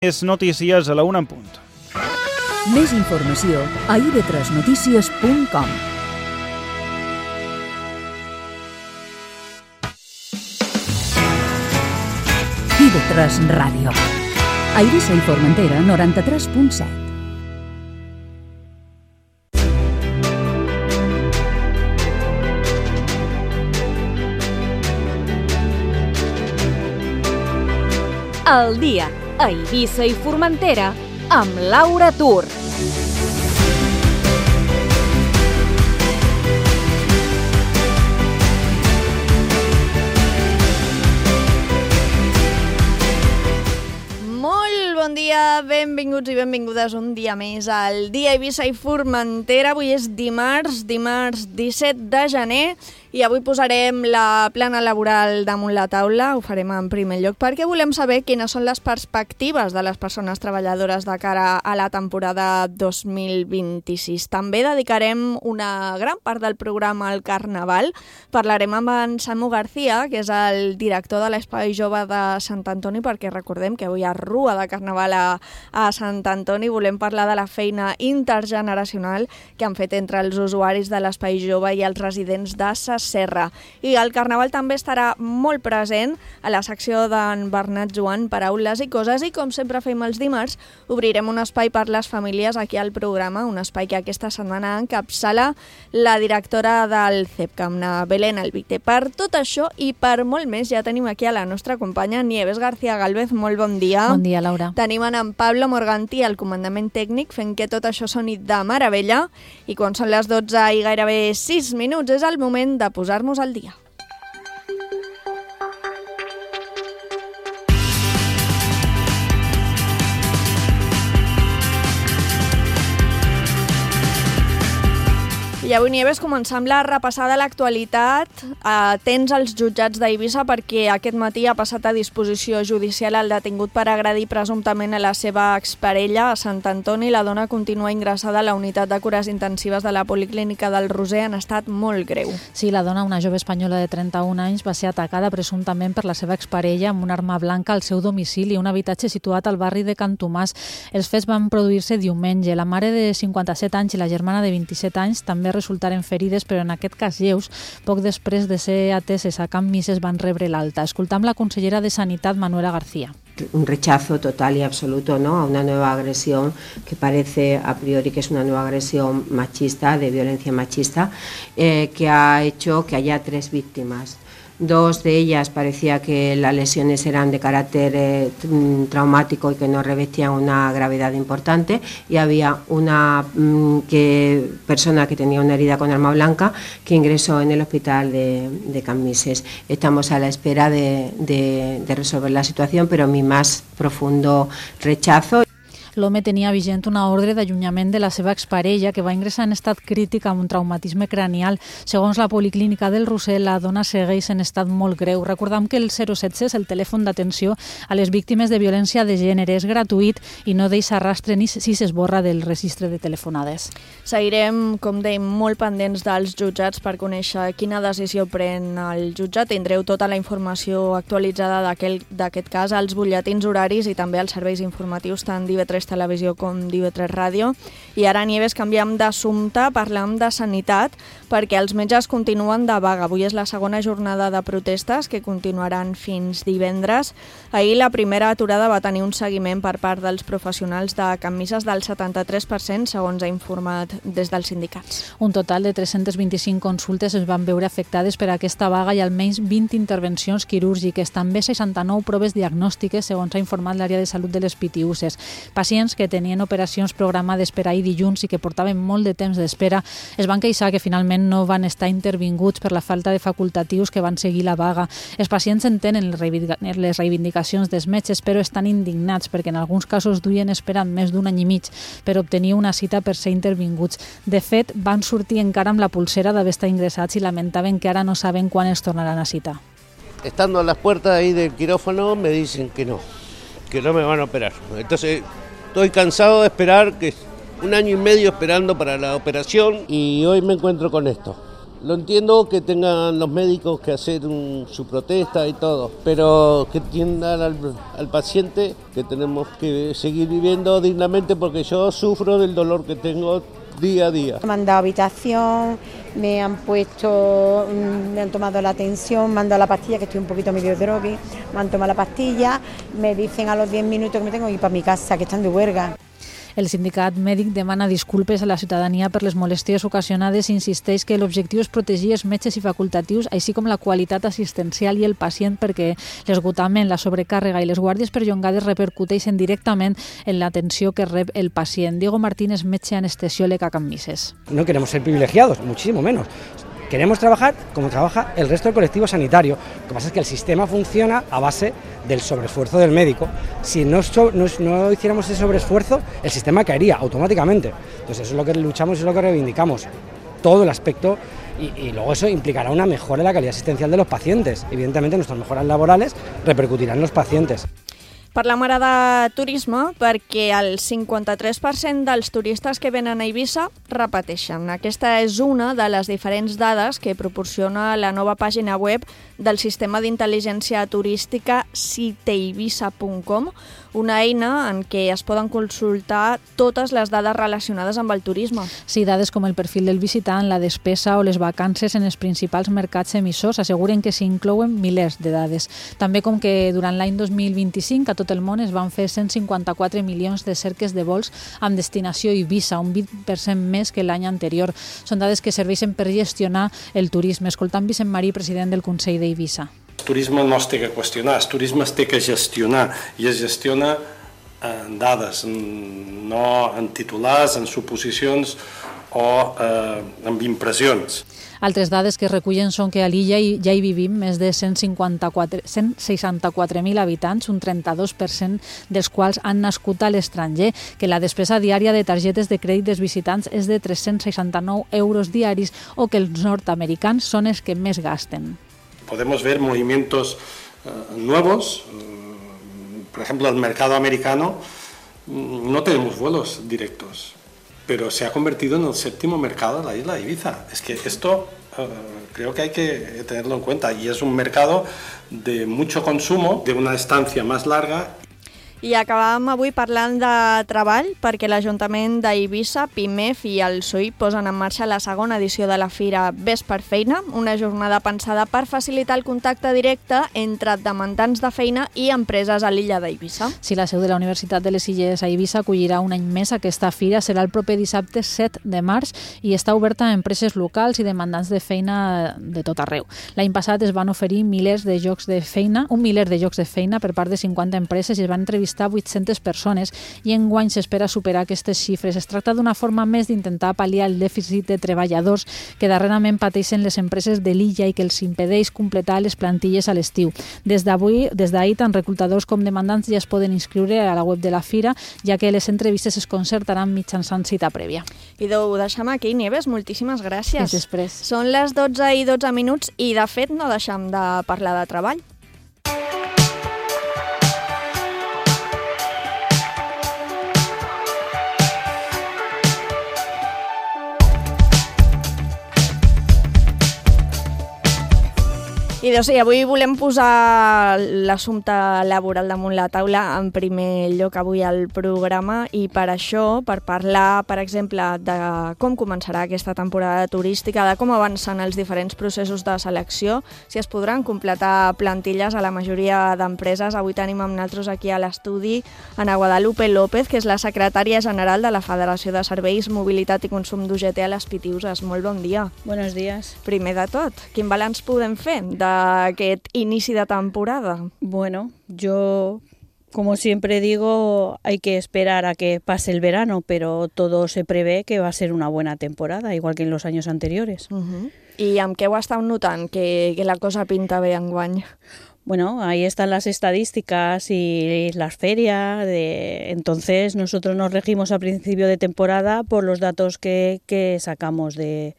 Més notícies a la 1 en punt. Més informació a ib3notícies.com. IB3 Ràdio. A Eivissa i Formentera, 93.7. El dia a Eivissa i Formentera amb Laura Tur. Molt bon dia, benvinguts i benvingudes un dia més al dia a Eivissa i Formentera. Avui és dimarts 17 de gener. I avui posarem la plana laboral damunt la taula, ho farem en primer lloc, perquè volem saber quines són les perspectives de les persones treballadores de cara a la temporada 2026. També dedicarem una gran part del programa al Carnaval. Parlarem amb en Samu García, que és el director de l'Espai Jove de Sant Antoni, perquè recordem que avui hi ha rua de Carnaval a Sant Antoni. Volem parlar de la feina intergeneracional que han fet entre els usuaris de l'Espai Jove i els residents de Serra. I el Carnaval també estarà molt present a la secció d'en Bernat Joan, Paraules i Coses, i com sempre fem els dimarts, obrirem un espai per les famílies aquí al programa, un espai que aquesta setmana encapçala la directora del CEPCAM, Belén Albite. Per tot això i per molt més ja tenim aquí a la nostra companya Nieves García Galvez. Molt bon dia. Bon dia, Laura. Tenim en Pablo Morganti al comandament tècnic fent que tot això soni de meravella, i quan són les 12 i gairebé 6 minuts és el moment de posar-nos al dia. I avui, Nieves, començam la repassada a l'actualitat. Tens els jutjats d'Eivissa perquè aquest matí ha passat a disposició judicial el detingut per agredir presumptament a la seva exparella a Sant Antoni. La dona continua ingressada a la unitat de cures intensives de la Policlínica del Roser en estat molt greu. Sí, la dona, una jove espanyola de 31 anys, va ser atacada presumptament per la seva exparella amb una arma blanca al seu domicili, un habitatge situat al barri de Can Tomàs. Els fets van produir-se diumenge. La mare de 57 anys i la germana de 27 anys també resultaren ferides, però en aquest cas lleus. Poc després de ser ateses a Can Misses van rebre l'alta. Escoltam la consellera de Sanitat, Manuela García. Un rechazo total y absoluto, ¿no?, a una nueva agresión que parece a priori que es una nueva agresión machista, de violencia machista, que ha hecho que haya 3 víctimas. 2 de ellas parecía que las lesiones eran de carácter traumático y que no revestían una gravedad importante, y había una persona que tenía una herida con arma blanca que ingresó en el hospital de Can Misses. Estamos a la espera de resolver la situación, pero mi más profundo rechazo. L'home tenia vigent una ordre d'allunyament de la seva exparella, que va ingressar en estat crític amb un traumatisme cranial. Segons la Policlínica del Roser, la dona segueix en estat molt greu. Recordam que el 016 és el telèfon d'atenció a les víctimes de violència de gènere. És gratuït i no deixa rastre ni si s'esborra del registre de telefonades. Seguirem, com dèiem, molt pendents dels jutjats per conèixer quina decisió pren el jutjat. Tindreu tota la informació actualitzada d'aquest cas als butlletins horaris i també als serveis informatius tant d'IB3 Televisió com d'IB3 Ràdio. I ara, Nieves, canviem d'assumpte, parlem de sanitat, perquè els metges continuen de vaga. Avui és la segona jornada de protestes que continuaran fins divendres. Ahir la primera aturada va tenir un seguiment per part dels professionals de Can Misses del 73%, segons ha informat des dels sindicats. Un total de 325 consultes es van veure afectades per aquesta vaga i almenys 20 intervencions quirúrgiques, també 69 proves diagnòstiques, segons ha informat l'àrea de salut de les Pitiüses. Pacients que tenien operacions programades per ahir dilluns i que portaven molt de temps d'espera es van queixar que finalment no van estar intervinguts per la falta de facultatius que van seguir la vaga. Els pacients entenen les reivindicacions dels metges, però estan indignats perquè en alguns casos duien esperant més d'un any i mig per obtenir una cita per ser intervinguts. De fet, van sortir encara amb la pulsera d'haver estat ingressats i lamentaven que ara no saben quan els tornaran a citar. Estando a las puertas ahí del quirófano me dicen que no me van a operar. Entonces estoy cansado de esperar, que 1 año y medio esperando para la operación, y hoy me encuentro con esto. Lo entiendo que tengan los médicos que hacer su protesta y todo, pero que entiendan al paciente que tenemos que seguir viviendo dignamente, porque yo sufro del dolor que tengo día a día. Me han dado habitación, me han tomado la tensión, me han dado la pastilla, que estoy un poquito medio drogue, me han tomado la pastilla, me dicen a los 10 minutos que me tengo que ir para mi casa, que están de huelga. El sindicat mèdic demana disculpes a la ciutadania per les molèsties ocasionades i insisteix que l'objectiu és protegir els metges i facultatius, així com la qualitat assistencial i el pacient, perquè l'esgotament, la sobrecàrrega i les guàrdies perllongades repercuteixen directament en l'atenció que rep el pacient. Diego Martínez, metge anestesiòleg a Can Misses. No queremos ser privilegiados, muchísimo menos. Queremos trabajar como trabaja el resto del colectivo sanitario. Lo que pasa es que el sistema funciona a base del sobreesfuerzo del médico. Si no hiciéramos ese sobreesfuerzo, el sistema caería automáticamente. Entonces eso es lo que luchamos y es lo que reivindicamos. Todo el aspecto y luego eso implicará una mejora en la calidad asistencial de los pacientes. Evidentemente nuestras mejoras laborales repercutirán en los pacientes. Parlem ara de turisme perquè el 53% dels turistes que venen a Eivissa repeteixen. Aquesta és una de les diferents dades que proporciona la nova pàgina web del sistema d'intel·ligència turística citeivissa.com, una eina en què es poden consultar totes les dades relacionades amb el turisme. Sí, dades com el perfil del visitant, la despesa o les vacances en els principals mercats emissors asseguren que s'hi inclouen milers de dades. També com que durant l'any 2025 a tot el món es van fer 154 milions de cerques de vols amb destinació Eivissa, un 20% més que l'any anterior. Són dades que serveixen per gestionar el turisme. Escoltant Vicent Marí, president del Consell d'Eivissa. El turisme no es té que qüestionar, el turisme es té que gestionar, i es gestiona en dades, no en titulars, en suposicions o en impressions. Altres dades que recullen són que a l'illa ja hi vivim més de 164.000 habitants, un 32% dels quals han nascut a l'estranger, que la despesa diària de targetes de crèdit dels visitants és de 369 euros diaris o que els nord-americans són els que més gasten. Podemos ver movimientos nuevos, por ejemplo, el mercado americano, no tenemos vuelos directos, pero se ha convertido en el séptimo mercado de la isla de Ibiza. Es que esto creo que hay que tenerlo en cuenta, y es un mercado de mucho consumo, de una estancia más larga. I acabàvem avui parlant de treball perquè l'Ajuntament d'Eivissa, PIMEF i el SOI posen en marxa la segona edició de la Fira Ves per Feina, una jornada pensada per facilitar el contacte directe entre demandants de feina i empreses a l'illa d'Eivissa. Si la seu de la Universitat de les Illes a Eivissa acollirà un any més aquesta fira, serà el proper dissabte 7 de març i està oberta a empreses locals i demandants de feina de tot arreu. L'any passat es van oferir un miler de llocs de feina per part de 50 empreses i es van entrevistar 800 persones i enguany s'espera superar aquestes xifres. Es tracta d'una forma més d'intentar pal·liar el dèficit de treballadors que darrerament pateixen les empreses de l'illa i que els impedeix completar les plantilles a l'estiu. Des d'ahir, tant reclutadors com demandants ja es poden inscriure a la web de la Fira, ja que les entrevistes es concertaran mitjançant cita prèvia. I ho deixem aquí, Nieves, moltíssimes gràcies. Fins després. Són les 12:12 i de fet no deixem de parlar de treball. I doncs sí, avui volem posar l'assumpte laboral damunt la taula en primer lloc avui al programa, i per això, per parlar, per exemple, de com començarà aquesta temporada turística, de com avancen els diferents processos de selecció, si es podran completar plantilles a la majoria d'empreses. Avui tenim amb nosaltres aquí a l'estudi Ana Guadalupe López, que és la secretària general de la Federació de Serveis, Mobilitat i Consum d'UGT a les Pitiuses. Molt bon dia. Buenos días. Primer de tot, quin balanç podem fer d'aquest inici de temporada? Bueno, yo, como siempre digo, hay que esperar a que pase el verano, pero todo se prevé que va a ser una buena temporada, igual que en los años anteriores. I amb què ho esteu notant, que la cosa pinta bé enguany? Bueno, ahí están las estadísticas y las ferias. Entonces nosotros nos regimos a principio de temporada por los datos que sacamos de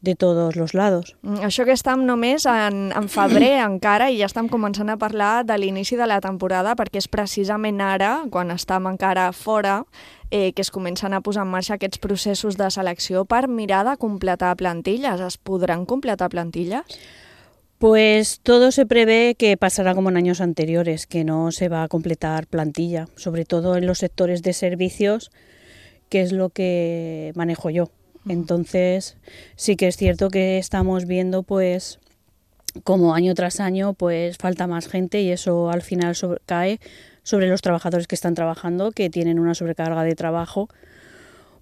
de todos los lados. Això que estem només en febrer encara i ja estem començant a parlar de l'inici de la temporada perquè és precisament ara, quan estem encara fora, que es comencen a posar en marxa aquests processos de selecció per mirar de completar plantilles. Es podran completar plantilles? Pues todo se prevé que pasará como en años anteriores, que no se va a completar plantilla, sobre todo en los sectores de servicios, que es lo que manejo yo. Entonces sí que es cierto que estamos viendo pues como año tras año pues falta más gente y eso al final cae sobre los trabajadores que están trabajando, que tienen una sobrecarga de trabajo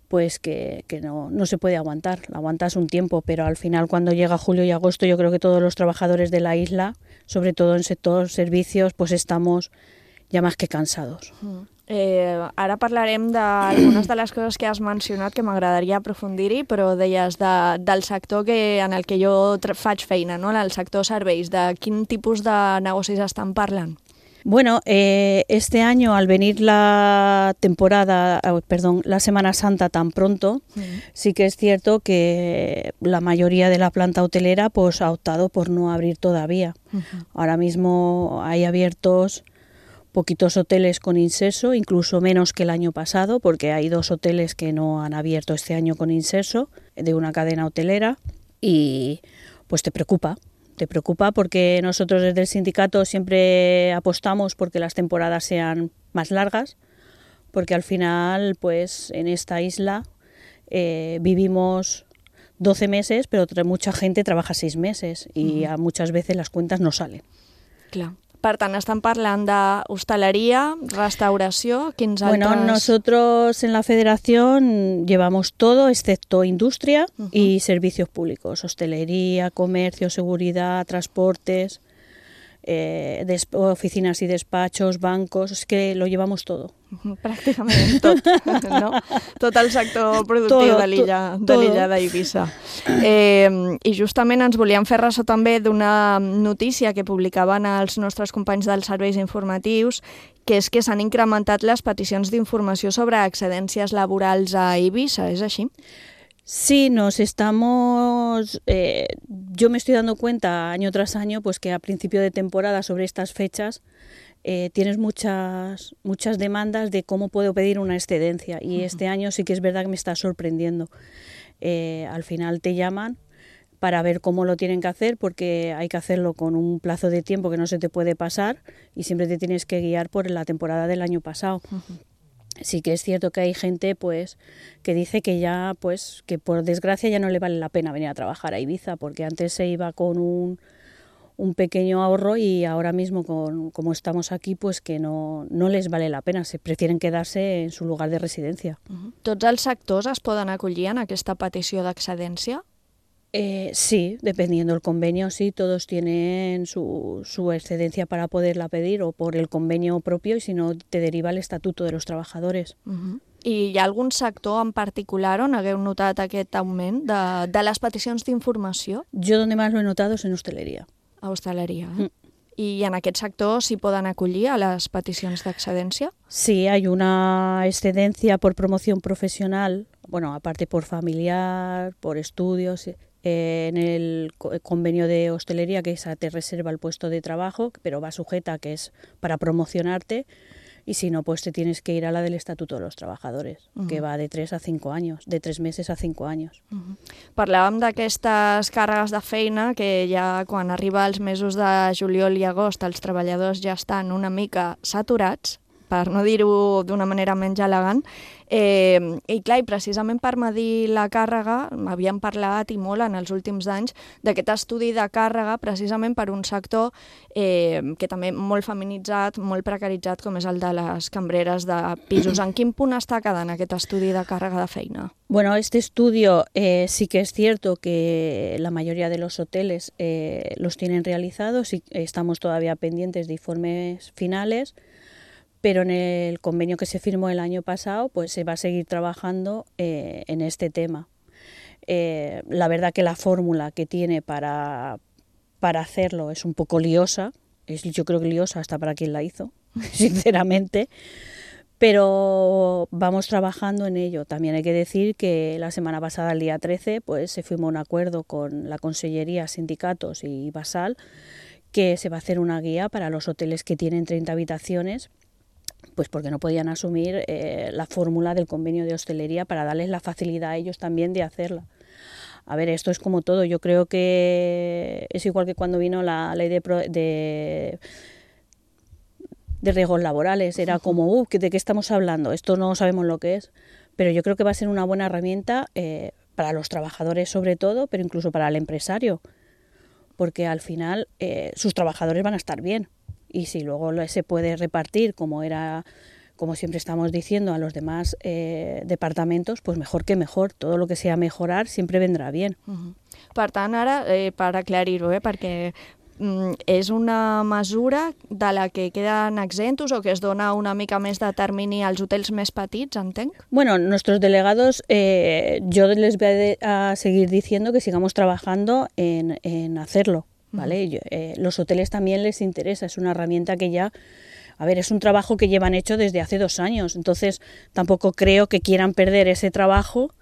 pues que no se puede aguantar. Aguantas un tiempo, pero al final cuando llega julio y agosto yo creo que todos los trabajadores de la isla, sobre todo en sector servicios, pues estamos ja més que cansados. Ara parlarem d'algunes de les coses que has mencionat que m'agradaria aprofundir-hi, però deies del sector en el que jo faig feina, no? En el sector serveis. De quin tipus de negocis estan parlant? Bueno, este año al venir la Semana Santa tan pronto, sí que es cierto que la mayoría de la planta hotelera pues ha optado por no abrir todavía. Ahora mismo hay abiertos poquitos hoteles con inserso, incluso menos que el año pasado, porque hay 2 hoteles que no han abierto este año con inserso de una cadena hotelera y pues te preocupa porque nosotros desde el sindicato siempre apostamos porque las temporadas sean más largas, porque al final pues en esta isla vivimos 12 meses, pero mucha gente trabaja 6 meses y muchas veces las cuentas no salen. Clar. Per tant, estan parlant d'hostaleria, restauració, quins altres... Bueno, nosotros en la federación llevamos todo excepto industria y servicios públicos, hostelería, comercio, seguridad, transportes, oficinas y despachos, bancos, es que lo llevamos todo. Pràcticament tot, no? Tot el sector productiu de l'illa d'Eivissa. I justament ens volíem fer ressò també d'una notícia que publicaven els nostres companys dels serveis informatius, que és que s'han incrementat les peticions d'informació sobre excedències laborals a Eivissa, és així? Sí, yo me estoy dando cuenta año tras año pues que a principio de temporada sobre estas fechas tienes muchas demandas de cómo puedo pedir una excedencia y este año sí que es verdad que me está sorprendiendo. Al final te llaman para ver cómo lo tienen que hacer porque hay que hacerlo con un plazo de tiempo que no se te puede pasar y siempre te tienes que guiar por la temporada del año pasado. Sí que es cierto que hay gente pues que dice que ya pues que por desgracia ya no le vale la pena venir a trabajar a Ibiza porque antes se iba con un pequeño ahorro y ahora mismo como estamos aquí pues que no les vale la pena, se prefieren quedarse en su lugar de residencia. Tots els sectors es poden acollir en aquesta petició d'excedència? Sí, dependiendo del convenio, sí, todos tienen su excedencia para poderla pedir o por el convenio propio y si no te deriva el estatuto de los trabajadores. I hi ha algun sector en particular on hagueu notat aquest augment de les peticions d'informació? Yo donde más lo he notado es en hostelería. A hosteleria, I en aquest sector s'hi poden acollir a les peticions d'excedència? Sí, hay una excedencia por promoción profesional, bueno, aparte por familiar, por estudios, en el convenio de hostelería que esa te reserva el puesto de trabajo, pero va sujeta a que es para promocionarte y si no, pues te tienes que ir a la del Estatuto de los Trabajadores, que va de 3 a 5 años, de 3 meses a 5 años. Parlàvem d'aquestes càrregues de feina que ja quan arriba als mesos de juliol i agost els treballadors ja estan una mica saturats, per no dir-ho d'una manera menys elegant, i clar, precisament per medir la càrrega, havíem parlat i molt en els últims anys d'aquest estudi de càrrega precisament per un sector que també molt feminitzat, molt precaritzat, com és el de les cambreres de pisos. En quin punt està quedant aquest estudi de càrrega de feina? Bueno, este estudio sí que es cierto que la mayoría de los hoteles los tienen realizados y estamos todavía pendientes de informes finales, pero en el convenio que se firmó el año pasado pues se va a seguir trabajando en este tema. La verdad que la fórmula que tiene para hacerlo es un poco liosa, yo creo que liosa hasta para quien la hizo, sinceramente, pero pero vamos trabajando en ello. También hay que decir que la semana pasada, el día 13, pues se firmó un acuerdo con la Consellería, sindicatos y Basal, que se va a hacer una guía para los hoteles que tienen 30 habitaciones, pues porque no podían asumir la fórmula del convenio de hostelería para darles la facilidad a ellos también de hacerla. A ver, esto es como todo. Yo creo que es igual que cuando vino la ley de riesgos laborales. Era como, ¿de qué estamos hablando? Esto no sabemos lo que es. Pero yo creo que va a ser una buena herramienta para los trabajadores sobre todo, pero incluso para el empresario. Porque al final sus trabajadores van a estar bien. Y si luego se puede repartir como siempre estamos diciendo, a los demás departamentos, pues mejor que mejor. Todo lo que sea mejorar siempre vendrà bien. Per tant, ara, per aclarir-ho, perquè és una mesura de la que queden exentos o que es dona una mica més de termini als hotels més petits, entenc? Bueno, nuestros delegados, yo les voy a seguir diciendo que sigamos trabajando en hacerlo, ¿vale? Los hoteles también les interesa, es una herramienta que ya... A ver, es un trabajo que llevan hecho desde hace 2 años, entonces tampoco creo que quieran perder ese trabajo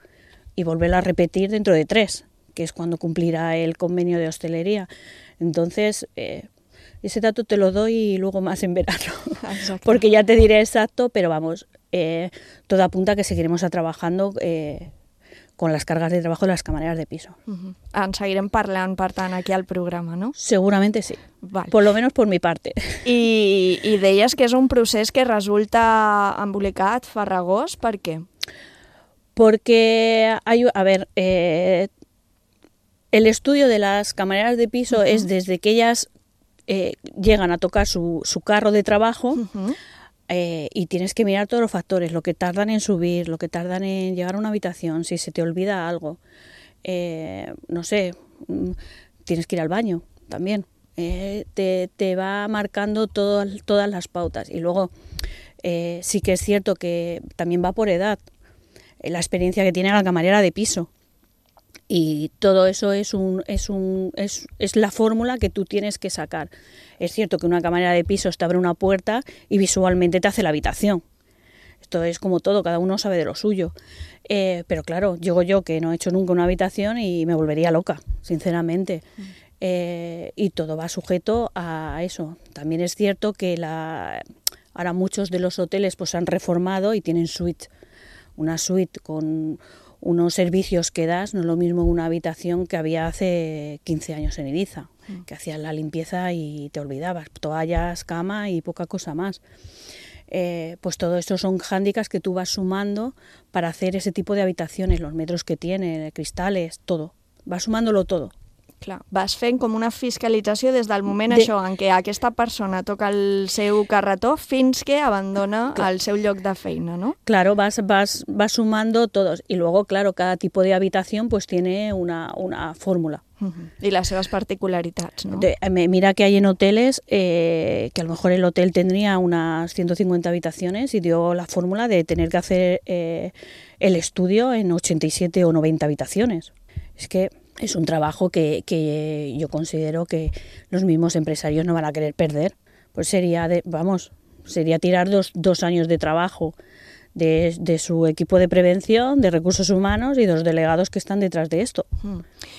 y volverlo a repetir dentro de 3, que es cuando cumplirá el convenio de hostelería. Entonces, ese dato te lo doy y luego más en verano, porque ya te diré exacto, pero vamos, todo apunta a que seguiremos trabajando con las cargas de trabajo de las camareras de piso. En seguirem parlant, per tant, aquí al programa, no? Seguramente sí, vale. Por lo menos por mi parte. I deies que és un procés que resulta embolicat, farragós, per què? Porque el estudio de las camareras de piso es desde que ellas llegan a tocar su carro de trabajo, y tienes que mirar todos los factores, lo que tardan en subir, lo que tardan en llegar a una habitación, si se te olvida algo, no sé, tienes que ir al baño también, te va marcando todas las pautas. Y luego sí que es cierto que también va por edad, la experiencia que tiene la camarera de piso. Y todo eso es la fórmula que tú tienes que sacar. Es cierto que una camarera de pisos te abre una puerta y visualmente te hace la habitación. Esto es como todo, cada uno sabe de lo suyo. Pero claro, llego yo que no he hecho nunca una habitación y me volvería loca, sinceramente. Y todo va sujeto a eso. También es cierto que ahora muchos de los hoteles pues han reformado y tienen suite. Una suite con unos servicios que das, no es lo mismo una habitación que había hace 15 años en Ibiza, que hacías la limpieza y te olvidabas, toallas, cama y poca cosa más. Pues todo esto son hándicaps que tú vas sumando para hacer ese tipo de habitaciones, los metros que tiene, cristales, todo, vas sumándolo todo. Clar, vas fent com una fiscalització des del moment en què aquesta persona toca el seu carretó fins que abandona el seu lloc de feina, ¿no? Claro, vas sumando todos. Y luego, claro, cada tipo de habitación pues tiene una fórmula. Y las seves particularitats, ¿no? Mira que hay en hoteles que a lo mejor el hotel tendría unas 150 habitaciones y dio la fórmula de tener que hacer el estudio en 87 o 90 habitaciones. Es que es un trabajo que yo considero que los mismos empresarios no van a querer perder. Pues sería tirar 2 años de trabajo de su equipo de prevención, de recursos humanos y de los delegados que están detrás de esto.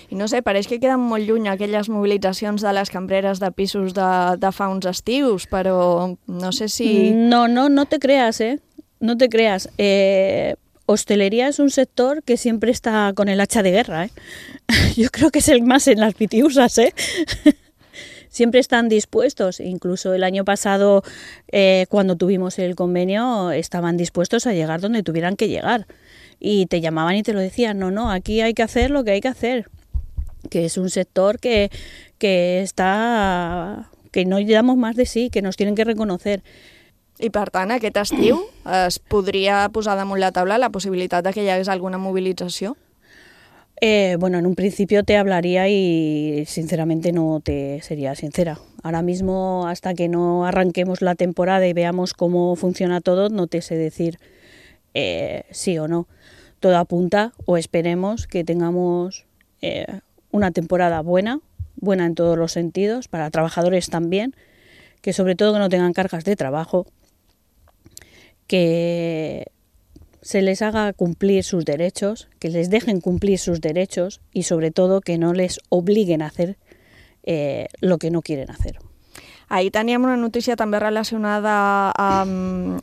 I no sé, pareix que queden molt lluny aquelles mobilitzacions de les cambreres de pisos de fa uns estius, però no sé si... No te creas, no te creas. Hostelería es un sector que siempre está con el hacha de guerra, Yo creo que es el más en las pitiusas, Siempre están dispuestos, incluso el año pasado, cuando tuvimos el convenio, estaban dispuestos a llegar donde tuvieran que llegar. Y te llamaban y te lo decían, no, aquí hay que hacer lo que hay que hacer. Que es un sector que no damos más de sí, que nos tienen que reconocer. I per tant, aquest estiu es podria posar damunt la taula la possibilitat de que hi hagués alguna mobilització? Bueno, en un principio te hablaría y sinceramente no te sería sincera. Ahora mismo, hasta que no arranquemos la temporada y veamos cómo funciona todo, no te sé decir sí o no. Todo apunta, o esperemos que tengamos una temporada buena en todos los sentidos, para trabajadores también, que sobre todo que no tengan cargas de trabajo, que se les haga cumplir sus derechos, que les dejen cumplir sus derechos y sobre todo que no les obliguen a hacer lo que no quieren hacer. Ahir teníem una notícia també relacionada amb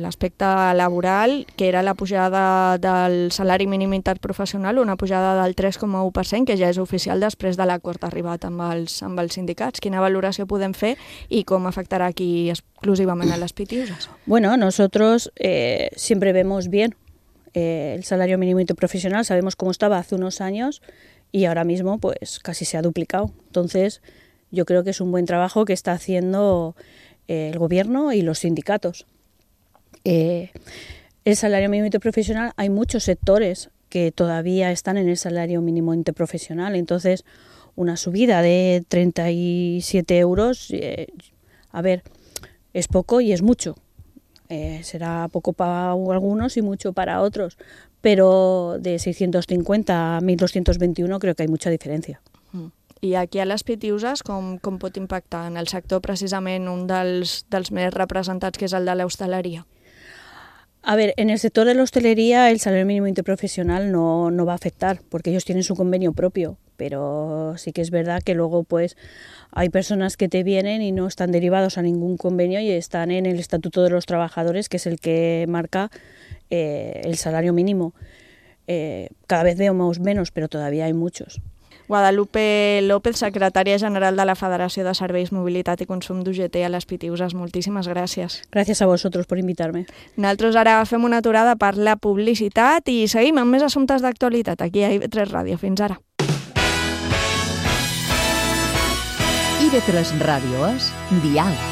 l'aspecte laboral, que era la pujada del salari mínim interprofessional, una pujada del 3,1%, que ja és oficial després de l'acord arribat amb els sindicats. Quina valoració podem fer i com afectarà aquí exclusivament a les PTUs? Bueno, nosotros siempre vemos bien el salario mínimo interprofesional, sabemos cómo estaba hace unos años y ahora mismo pues casi se ha duplicado. Entonces, yo creo que es un buen trabajo que está haciendo el gobierno y los sindicatos. El salario mínimo interprofesional, hay muchos sectores que todavía están en el salario mínimo interprofesional, entonces una subida de 37 euros, a ver, es poco y es mucho. Será poco para algunos y mucho para otros, pero de 650 a 1.221 creo que hay mucha diferencia. I aquí a les PTUs com pot impactar en el sector precisament un dels més representats, que és el de l'hostaleria? A ver, en el sector de la hostelería el salario mínimo interprofesional no va a afectar porque ellos tienen su convenio propio, pero sí que es verdad que luego pues hay personas que te vienen y no están derivados a ningún convenio y están en el Estatuto de los Trabajadores, que es el que marca el salario mínimo. Cada vez vemos menos, pero todavía hay muchos. Guadalupe López, secretària general de la Federació de Serveis, Mobilitat i Consum d'UGT a les PTUs. Moltíssimes gràcies. Gràcies a vosotros por invitarme. Nosaltres ara fem una aturada per la publicitat i seguim amb més assumptes d'actualitat aquí a IB3 Ràdio. Fins ara. IB3 Ràdio és Diàleg.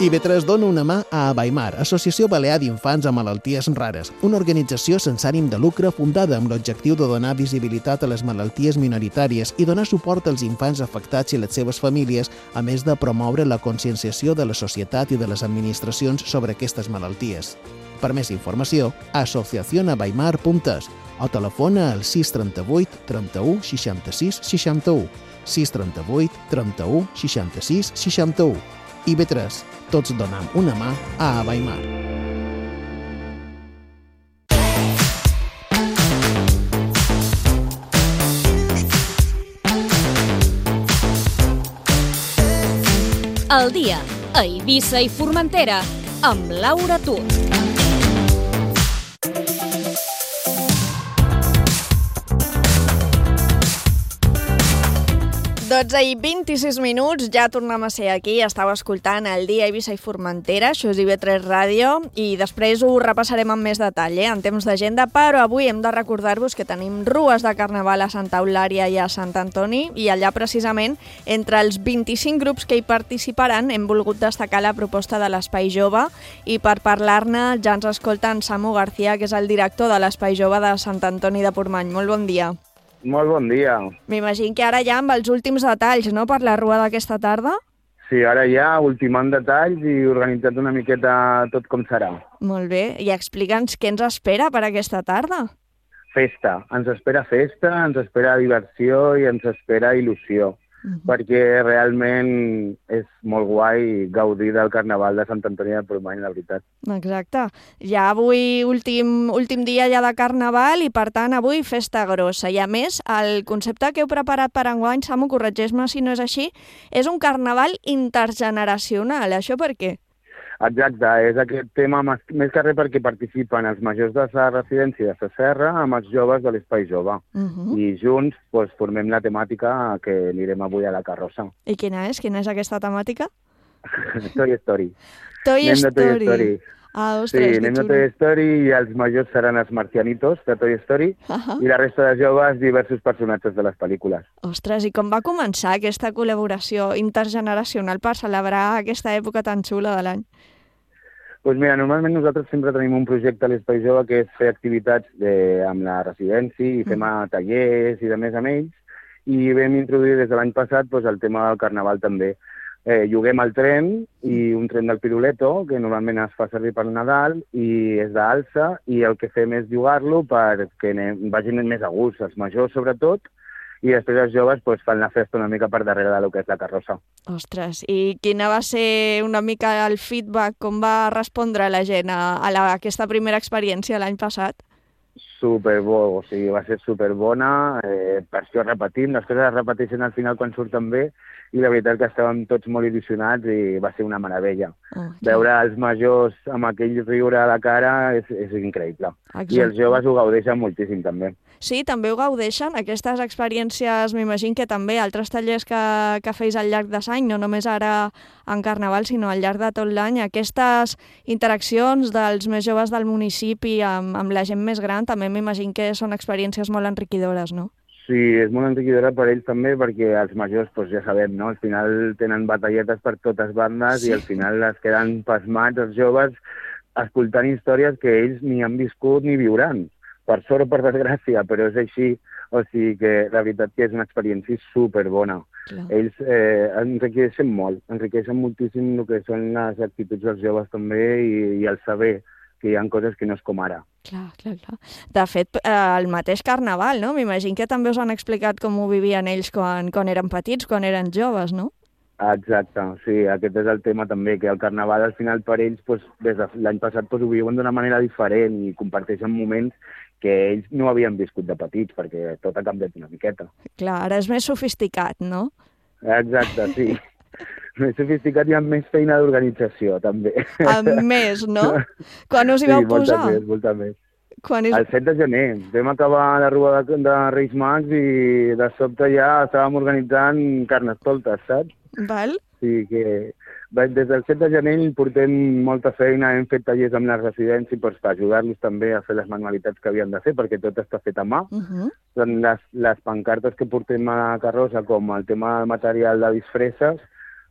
IB3 dona una mà a Abaimar, Associació Balear d'Infants amb Malalties Rares, una organització sense ànim de lucre fundada amb l'objectiu de donar visibilitat a les malalties minoritàries i donar suport als infants afectats i les seves famílies, a més de promoure la conscienciació de la societat i de les administracions sobre aquestes malalties. Per més informació, asociacionabaimar.es o telefona al 638 31 66 61, 638 31 66 61. IB3, tots donam una mà a Abaimar. El dia a Eivissa i Formentera amb Laura Tur. I 26 minuts, ja tornem a ser aquí, estàu escoltant el dia a Eivissa i Formentera, això és IB3 Ràdio, i després ho repassarem amb més detall, en temps d'agenda, però avui hem de recordar-vos que tenim rues de carnaval a Santa Eulària i a Sant Antoni, i allà precisament, entre els 25 grups que hi participaran, hem volgut destacar la proposta de l'Espai Jove, i per parlar-ne ja ens escolta en Samu García, que és el director de l'Espai Jove de Sant Antoni de Portmany. Molt bon dia. Molt bon dia. M'imagino que ara ja amb els últims detalls, no?, per la rua d'aquesta tarda? Sí, ara ja ultimant detalls i organitzat una miqueta tot com serà. Molt bé. I explica'ns què ens espera per aquesta tarda. Festa. Ens espera festa, ens espera diversió i ens espera il·lusió. Perquè realment és molt guai gaudir del Carnaval de Sant Antoni de Portmany, la veritat. Exacte. Ja avui últim dia ja de Carnaval i, per tant, avui festa grossa. I, a més, el concepte que heu preparat per enguany, Samu, corregeix-me si no és així, és un Carnaval intergeneracional. Això per què? Exacte, és aquest tema més que res perquè participen els majors de la residència de la Serra amb els joves de l'Espai Jove. I junts formem la temàtica que anirem avui a la carrossa. I quina és? Quina és aquesta temàtica? Toy Story. Toy Story. Ah, ostres, sí, anem de Toy Story i els majors seran els marcianitos de Toy Story i la resta de joves diversos personatges de les pel·lícules. Ostres, i com va començar aquesta col·laboració intergeneracional per celebrar aquesta època tan xula de l'any? Doncs mira, normalment nosaltres sempre tenim un projecte a l'Espai Jove que és fer activitats amb la residència i fem tallers i de més amb ells i vam introduir des de l'any passat el tema del Carnaval també. Lloguem el tren i un tren del Piruleto, que normalment es fa servir per Nadal i és d'alça, i el que fem és llogar-lo perquè vagin més a gust, els majors sobretot, i després els joves doncs, fan la festa una mica per darrere del que és la carrossa. Ostres, i quina va ser una mica el feedback, com va respondre la gent a aquesta primera experiència l'any passat? Superbo, o sigui, va ser superbona, per això repetim, les coses es repeteixen al final quan surten bé, i la veritat que estàvem tots molt il·lusionats i va ser una meravella. Veure els majors amb aquell riure a la cara és increïble. Exacte. I els joves ho gaudeixen moltíssim també. Sí, també ho gaudeixen. Aquestes experiències, m'imagino que també altres tallers que feis al llarg de l'any, no només ara en Carnaval, sinó al llarg de tot l'any, aquestes interaccions dels més joves del municipi amb la gent més gran, també m'imagino que són experiències molt enriquidores, no? Sí, és molt enriquidora per ells també, perquè els majors, doncs ja sabem, no? Al final tenen batalletes per totes bandes i al final es queden pasmats els joves escoltant històries que ells ni han viscut ni viuran. Per sort o per desgràcia, però és així. O sigui que la veritat que és una experiència superbona. Ells enriqueixen moltíssim el que són les actituds dels joves també i el saber que hi ha coses que no és com ara. Clar. De fet, el mateix Carnaval, no? M'imagino que també us han explicat com ho vivien ells quan eren petits, quan eren joves, no? Exacte, sí, aquest és el tema també, que el Carnaval al final per ells, des de l'any passat, ho viuen d'una manera diferent i comparteixen moments que ells no havien viscut de petits, perquè tot ha canviat una miqueta. Clar, ara és més sofisticat, no? Exacte, sí. Més sofisticat i amb més feina d'organització, també. Amb més, no? Quan us hi vau posar? Molta més. El 7 de gener. Vam acabar la rua de Reis Mags i de sobte ja estàvem organitzant carnestoltes, saps? Val. Sí, que des del 7 de gener portem molta feina, hem fet tallers amb les residències per ajudar-los també a fer les manualitats que havien de fer, perquè tot està fet a mà. Són les pancartes que portem a la carrossa, com el tema del material de disfresses,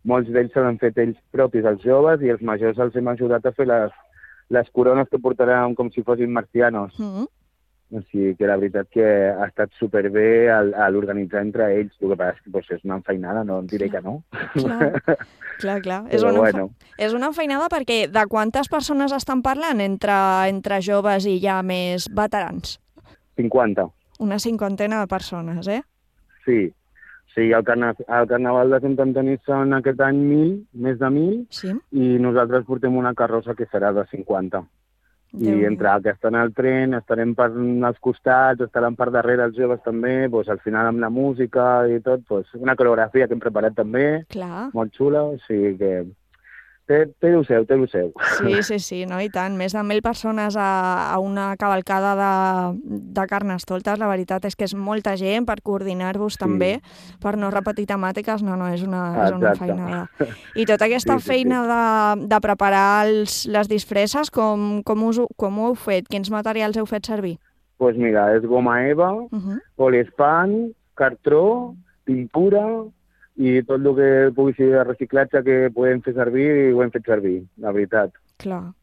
molts d'ells se l'han fet ells propis, els joves, i els majors els hem ajudat a fer les corones que portaran com si fossin marcianos. O sigui que la veritat que ha estat superbé l'organitzar entre ells. El que passa és que és una enfeinada, no em diré que no. Clar. És una enfeinada perquè de quantes persones estan parlant entre joves i ja més veterans? 50. Una cinquantena de persones, eh? Sí. Sí, al Carnaval de Sant Antoni són aquest any 1.000, més de 1.000, i nosaltres portem una carrossa que serà de 50. I entre que estan al tren, estarem per als costats, estaran per darrere els joves també, doncs al final amb la música i tot, doncs una coreografia que hem preparat també, molt xula, o sigui que té el seu. Sí, no, i tant. Més de 1.000 persones a una cavalcada de carnestoltes, la veritat és que és molta gent per coordinar-vos també, per no repetir temàtiques, no, és una feinada. I tota aquesta feina de preparar les disfresses, com ho heu fet? Quins materials heu fet servir? Doncs mira, és goma eva, poliespan, cartró, pintura i tot el que pugui ser de reciclatge que podem fer servir, ho hem fet servir, la veritat. Clar.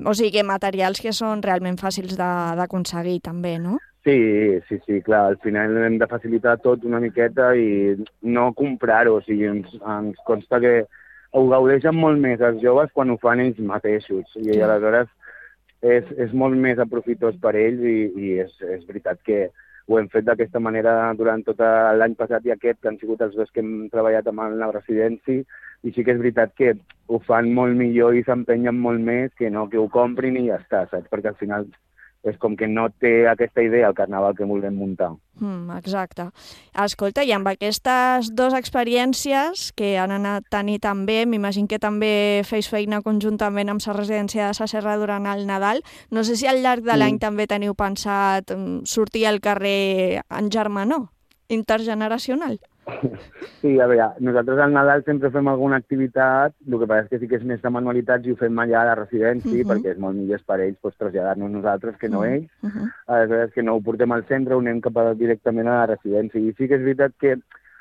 O sigui que materials que són realment fàcils d'aconseguir també, no? Sí, clar, al final hem de facilitar tot una miqueta i no comprar-ho, o sigui, ens consta que ho gaudeixen molt més els joves quan ho fan ells mateixos, i aleshores és molt més aprofitós per ells i és veritat que ho hem fet d'aquesta manera durant tot l'any passat i aquest, que han sigut els dos que hem treballat amb la residència, i sí que és veritat que ho fan molt millor i s'empenyen molt més que no que ho comprin i ja està, saps? Perquè al final és com que no té aquesta idea el Carnaval que volem muntar. Exacte. Escolta, i amb aquestes dues experiències que han anat tan bé, m'imagino que també feis feina conjuntament amb la residència de la Serra durant el Nadal. No sé si al llarg de l'any també teniu pensat sortir al carrer en germanor, intergeneracional. Sí, a veure, nosaltres al Nadal sempre fem alguna activitat, el que passa és que sí que és més de manualitats i ho fem allà a la residència, perquè és molt millor per ells traslladar-nos nosaltres que no ells. Aleshores que no ho portem al centre, ho anem directament a la residència. I sí que és veritat que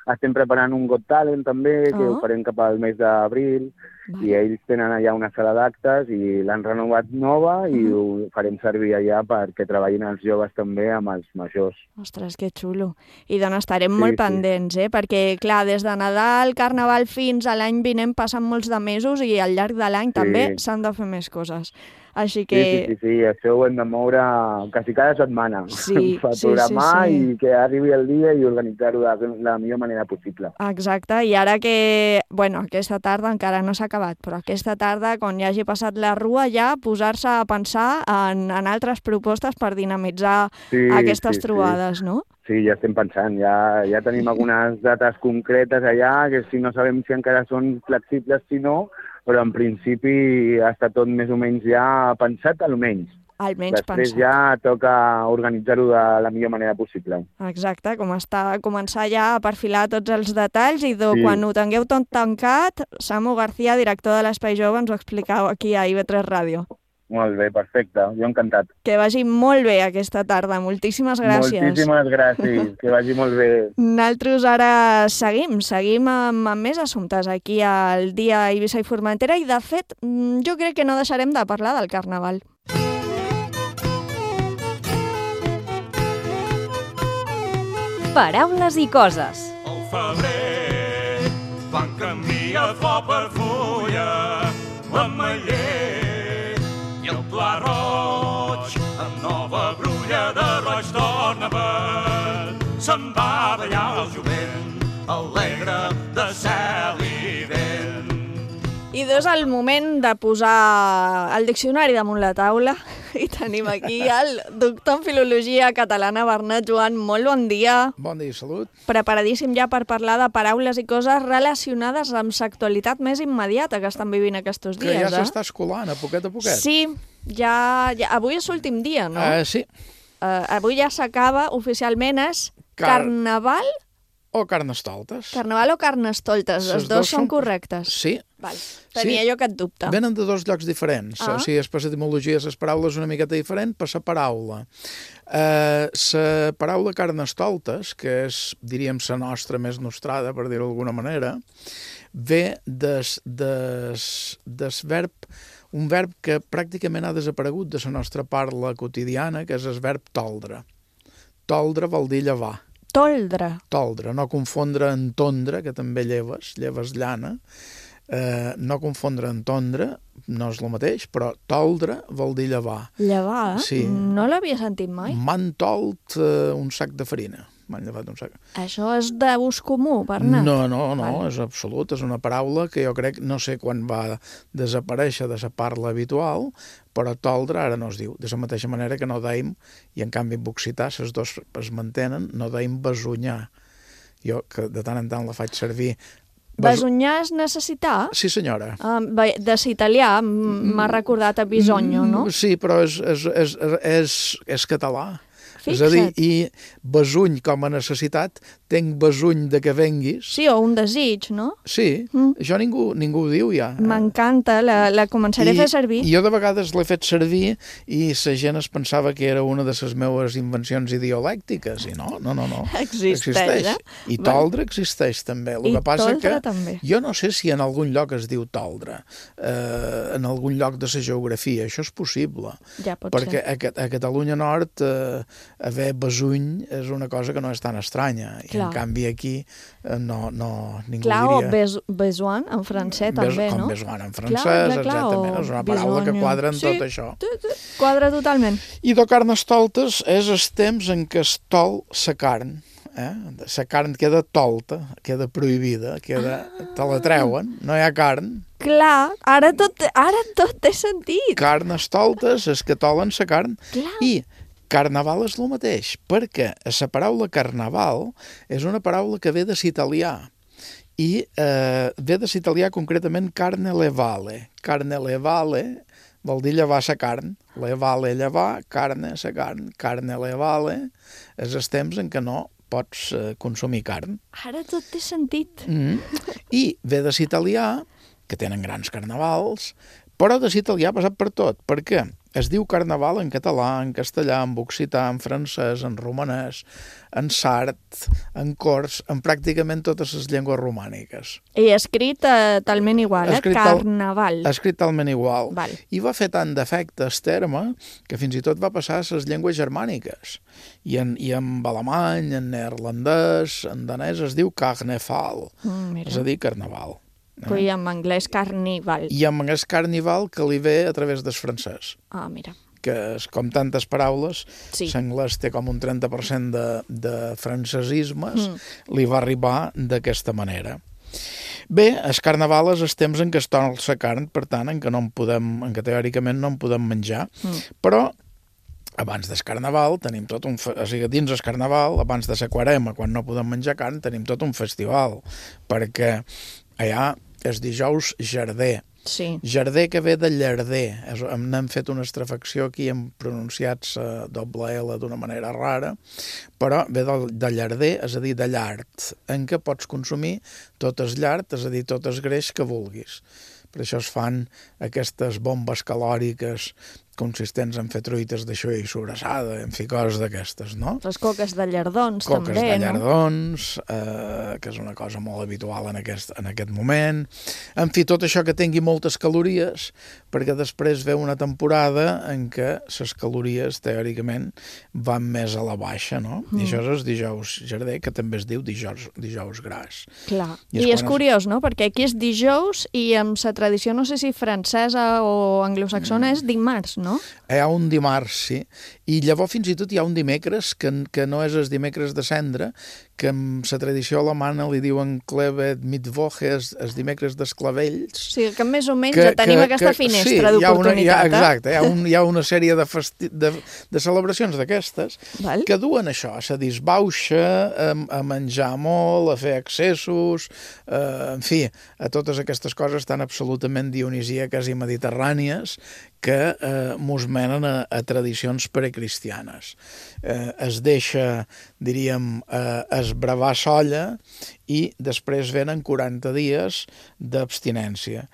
estem preparant un Got Talent també, que ho farem cap al mes d'abril, I ells tenen allà una sala d'actes i l'han renovat nova i ho farem servir allà perquè treballin els joves també amb els majors. Ostres, que xulo. I doncs estarem molt pendents, perquè clar, des de Nadal, Carnaval fins a l'any vinent passen molts de mesos i al llarg de l'any també s'han de fer més coses. Així que... Sí, això ho hem de moure quasi cada setmana. Per programar i que arribi el dia i organitzar-ho de la millor manera possible. Exacte, i ara que, aquesta tarda encara no s'ha acabat, però aquesta tarda, quan ja hagi passat la rua, ja posar-se a pensar en altres propostes per dinamitzar aquestes trobades, no? Sí, ja estem pensant, ja tenim algunes dates concretes allà, que si no sabem si encara són flexibles, si no, però en principi està tot més o menys ja pensat, almenys. Després ja toca organitzar-ho de la millor manera possible. Exacte, començar ja a perfilar tots els detalls i quan ho tingueu tot tancat, Samu García, director de l'Espai Jove, ens ho explicau aquí a IB3 Ràdio. Molt bé, perfecte, jo encantat. Que vagi molt bé aquesta tarda, moltíssimes gràcies. Moltíssimes gràcies, que vagi molt bé. Nosaltres ara seguim amb més assumptes aquí al Dia Eivissa i Formentera i de fet jo crec que no deixarem de parlar del Carnaval. Paraules i coses. El febrer, quan canvia flor per fulla, l'ametller i el pla roig, amb nova brulla de roig torna verd. Se'n va a ballar el jovent, alegre de cel i vent. I és el moment de posar el diccionari damunt la taula i tenim aquí el doctor en Filologia Catalana, Bernat Joan. Molt bon dia. Bon dia, salut. Preparadíssim ja per parlar de paraules i coses relacionades amb l'actualitat més immediata que estan vivint aquests dies. Que ja s'està escolant a poquet. Sí, ja avui és l'últim dia, no? Sí. Avui ja s'acaba, oficialment és Carnaval o Carnestoltes. Carnaval o Carnestoltes, els dos són correctes. Sí. Val. Tenia jo aquest dubte. Venen de dos llocs diferents. O sigui, és per l'etimologia de les paraules una miqueta diferent per la paraula. La paraula Carnestoltes, que és, diríem, la nostra més nostrada, per dir-ho d'alguna manera, ve del verb, un verb que pràcticament ha desaparegut de la nostra parla quotidiana, que és el verb toldre. Toldre vol dir llevar. Toldre. Toldre, no confondre amb tondre, que també lleves llana. No confondre amb tondre, no és el mateix, però toldre vol dir llevar. Llevar? Sí. No l'havia sentit mai. M'han tolt un sac de farina. M'han llevat un sac. Això és d'ús comú, Bernat? No, és absolut. És una paraula que jo crec, no sé quan va desaparèixer de la parla habitual, però toldre ara no es diu. De la mateixa manera que no deim, i en canvi en occità, les dos es mantenen, no deim besunyar. Jo, que de tant en tant la faig servir. Besunyar és necessitar? Sí, senyora. De l'italià m'ha recordat a bisogno, no? Sí, però és català. Fixa't. És a dir, i besuny com a necessitat, tenc besuny de que venguis. Sí, o un desig, no? Sí, això ningú ho diu ja. M'encanta, la començaré a fer servir. Jo de vegades l'he fet servir i la gent es pensava que era una de les meves invencions idiolèctiques, i no. Existeix. I toldre existeix també. I toldre també. Jo no sé si en algun lloc es diu toldre, en algun lloc de la geografia, això és possible. Ja pot ser. Perquè a Catalunya Nord haver besuny és una cosa que no és tan estranya. I en canvi aquí ningú diria... O besoin en francès també, no? Com besoin en francès, exactament. És una paraula que quadra en tot això. Quadra totalment. I de Carnestoltes és el temps en què es tol la carn. La carn queda tolta, queda prohibida, te la treuen, no hi ha carn. Clar, ara tot té sentit. Carnestoltes és que tolen la carn. Clar. I Carnaval és el mateix, perquè la paraula carnaval és una paraula que ve de l'italià i ve de l'italià concretament carne levale. Carne levale vol dir llevar la carn. Levale, llevar, carne, la carn. Carne levale és els temps en què no pots consumir carn. Ara tot té sentit. I ve de l'italià, que tenen grans carnavals, però de l'italià ha passat per tot. Per què? Es diu carnaval en català, en castellà, en occità, en francès, en romanès, en sard, en cors, en pràcticament totes les llengües romàniques. I escrit talment igual, carnaval. Escrit talment igual. Val. I va fer tant d'efecte el terme que fins i tot va passar a les llengües germàniques. I en alemany, en neerlandès, en danès es diu carnaval, és a dir, carnaval. I en anglès carnival. I en anglès carnival que li ve a través del francès. Ah, mira. Que és com tantes paraules, l'anglès té com un 30% de francesismes, li va arribar d'aquesta manera. Bé, el carnaval és el temps en què es torna la carn, per tant, en què teòricament no en podem menjar, però abans del carnaval tenim tot un... O sigui, dins el carnaval, abans de la quaresma, quan no podem menjar carn, tenim tot un festival, perquè allà és dijous Jarder. Sí. Jarder que ve de llarder. N'hem fet una estrafecció aquí, hem pronunciat la doble L d'una manera rara, però ve de llarder, és a dir, de llard, en què pots consumir tot el llard, és a dir, tot el greix que vulguis. Per això es fan aquestes bombes calòriques consistents en fer truites d'això i sobrassada, en fi, coses d'aquestes, no? Les coques de llardons, també, no? Coques de llardons, que és una cosa molt habitual en aquest moment. En fi, tot això que tingui moltes calories, perquè després ve una temporada en què les calories, teòricament, van més a la baixa, no? I això és el dijous Jarder, que també es diu dijous gras. Clar. I és curiós, no? Perquè aquí és dijous i amb la tradició, no sé si francesa o anglosaxona, és dimarts, no? Hi ha un dimarts, sí. I llavors fins i tot hi ha un dimecres, que no és el dimecres de cendra, que amb la tradició alemana li diuen Klevet Mittwoche, els dimecres dels clavells. Sí, que més o menys tenim aquesta finestra d'oportunitat. Exacte, hi ha una sèrie de celebracions d'aquestes que duen això, a disbauxa, a menjar molt, a fer excessos, en fi, a totes aquestes coses tan absolutament dionisíaques i mediterrànies que mos menen a tradicions precristianes. Es deixa, diríem, esbravar solla i després venen 40 dies d'abstinència.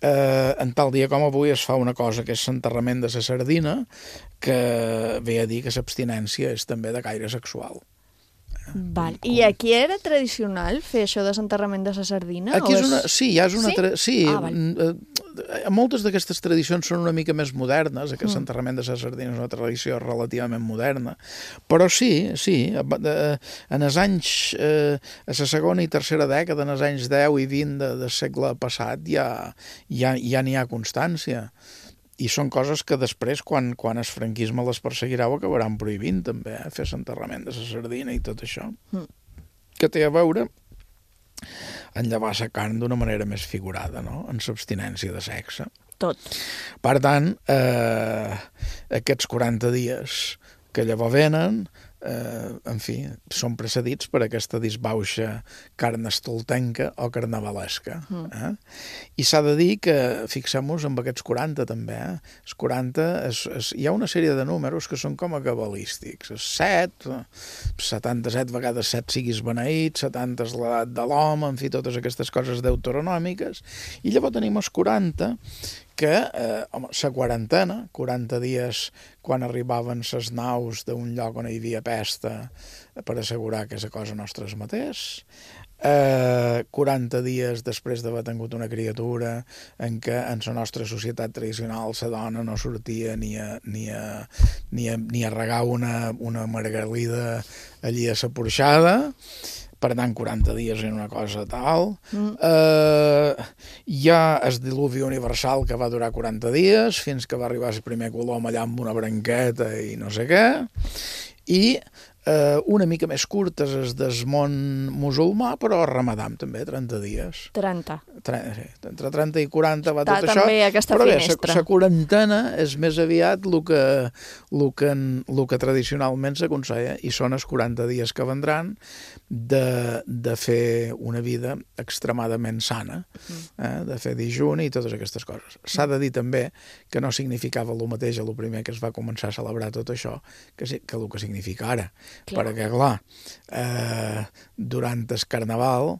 En tal dia com avui es fa una cosa que és l'enterrament de la sardina, que ve a dir que l'abstinència és també de caire sexual. Val. I aquí era tradicional fer això de l'enterrament de la sardina? Aquí és una... Sí, ja és una... Sí? Moltes d'aquestes tradicions són una mica més modernes, aquest enterrament de la sardina és una tradició relativament moderna, però sí, en els anys, a la segona i tercera dècada, en els anys 10 i 20 del segle passat, ja n'hi ha constància. I són coses que després, quan el franquisme les perseguirà, ho acabaran prohibint també, fer l'enterrament de la sardina i tot això. Que té a veure en llevar la carn d'una manera més figurada, no? En l'abstinència de sexe. Tot. Per tant, aquests 40 dies que llavors venen, en fi, són precedits per aquesta disbauxa carnestoltenca o carnavalesca. I s'ha de dir que, fixem-nos en aquests 40 també, els 40, hi ha una sèrie de números que són com a cabalístics. 7, 77 vegades 7 siguis beneït, 70 és l'edat de l'home, en fi, totes aquestes coses deuteronòmiques. I llavors tenim els 40, que la quarantena, 40 dies quan arribaven les naus d'un lloc on hi havia pesta per assegurar que la cosa nostra es matés, 40 dies després d'haver tingut una criatura en què en la nostra societat tradicional la dona no sortia ni a regar una margalida allí a la porxada. Per tant, 40 dies en una cosa tal. Hi ha el diluvi universal que va durar 40 dies, fins que va arribar el primer colom allà amb una branqueta i no sé què. I una mica més curtes és del món musulmà, però el Ramadà també, 30 dies. 30. Entre 30 i 40 va tot això. També aquesta finestra. Però bé, la quarantena és més aviat el que tradicionalment s'aconsella, i són els 40 dies que vendran de fer una vida extremadament sana, de fer dijuni i totes aquestes coses. S'ha de dir també que no significava el mateix el primer que es va començar a celebrar tot això que el que significa ara. perquè, clar, durant el Carnaval,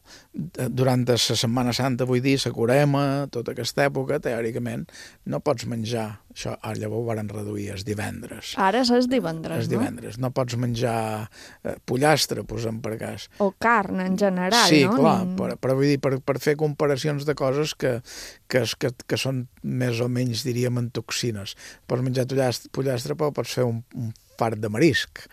durant la Setmana Santa, vull dir, la Corema, tota aquesta època, teòricament, no pots menjar, això llavors ho van reduir, és divendres. Ara és divendres, no? És divendres, no pots menjar pollastre, posem per cas. O carn, en general, sí, no? Sí, clar, però vull dir, per fer comparacions de coses que són més o menys, diríem, en toxines. Pots menjar pollastre, però pots fer un fart de marisc.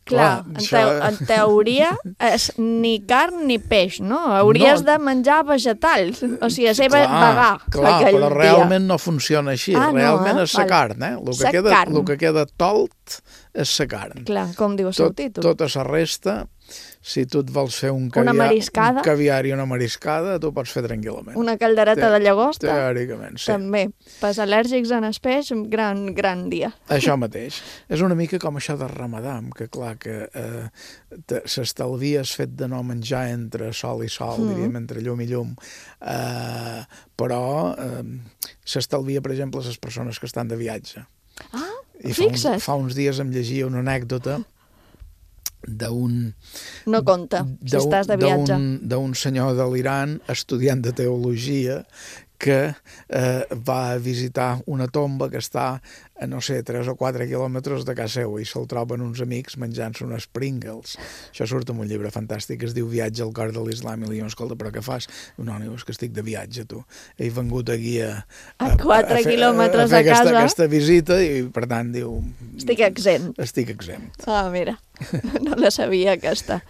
Clar, en teoria és ni carn ni peix, no? Hauries de menjar vegetals, o sigui, ser vegà. Clar, però realment no funciona així, realment és la carn, El que queda tolt és la carn. Clar, com diu el seu títol. Tota la resta, si tu et vols fer un caviar i una mariscada, tu pots fer tranquil·lament. Una caldereta de llagosta? Teòricament, sí. També. Pels al·lèrgics en el peix, gran dia. Això mateix. És una mica com això de Ramadà, que clar, que s'estalvia el fet de no menjar entre sol i sol, diríem, entre llum i llum, però s'estalvia, per exemple, les persones que estan de viatge. Ah, fixa't. Fa uns dies em llegia una anècdota d'un... No compta, si estàs de viatge. D'un senyor de l'Iran, estudiant de teologia, que va visitar una tomba que està a, no sé, 3 o 4 quilòmetres de casa seva i se'l troben uns amics menjant-se unes Pringles. Això surt en un llibre fantàstic que es diu Viatge al cor de l'Islam i li diu, escolta, però què fas? No, és que estic de viatge, tu. He vengut aquí a 4 quilòmetres de casa. Aquesta visita i, per tant, diu... Estic exempt. Estic exempt. Ah, mira, no la sabia aquesta.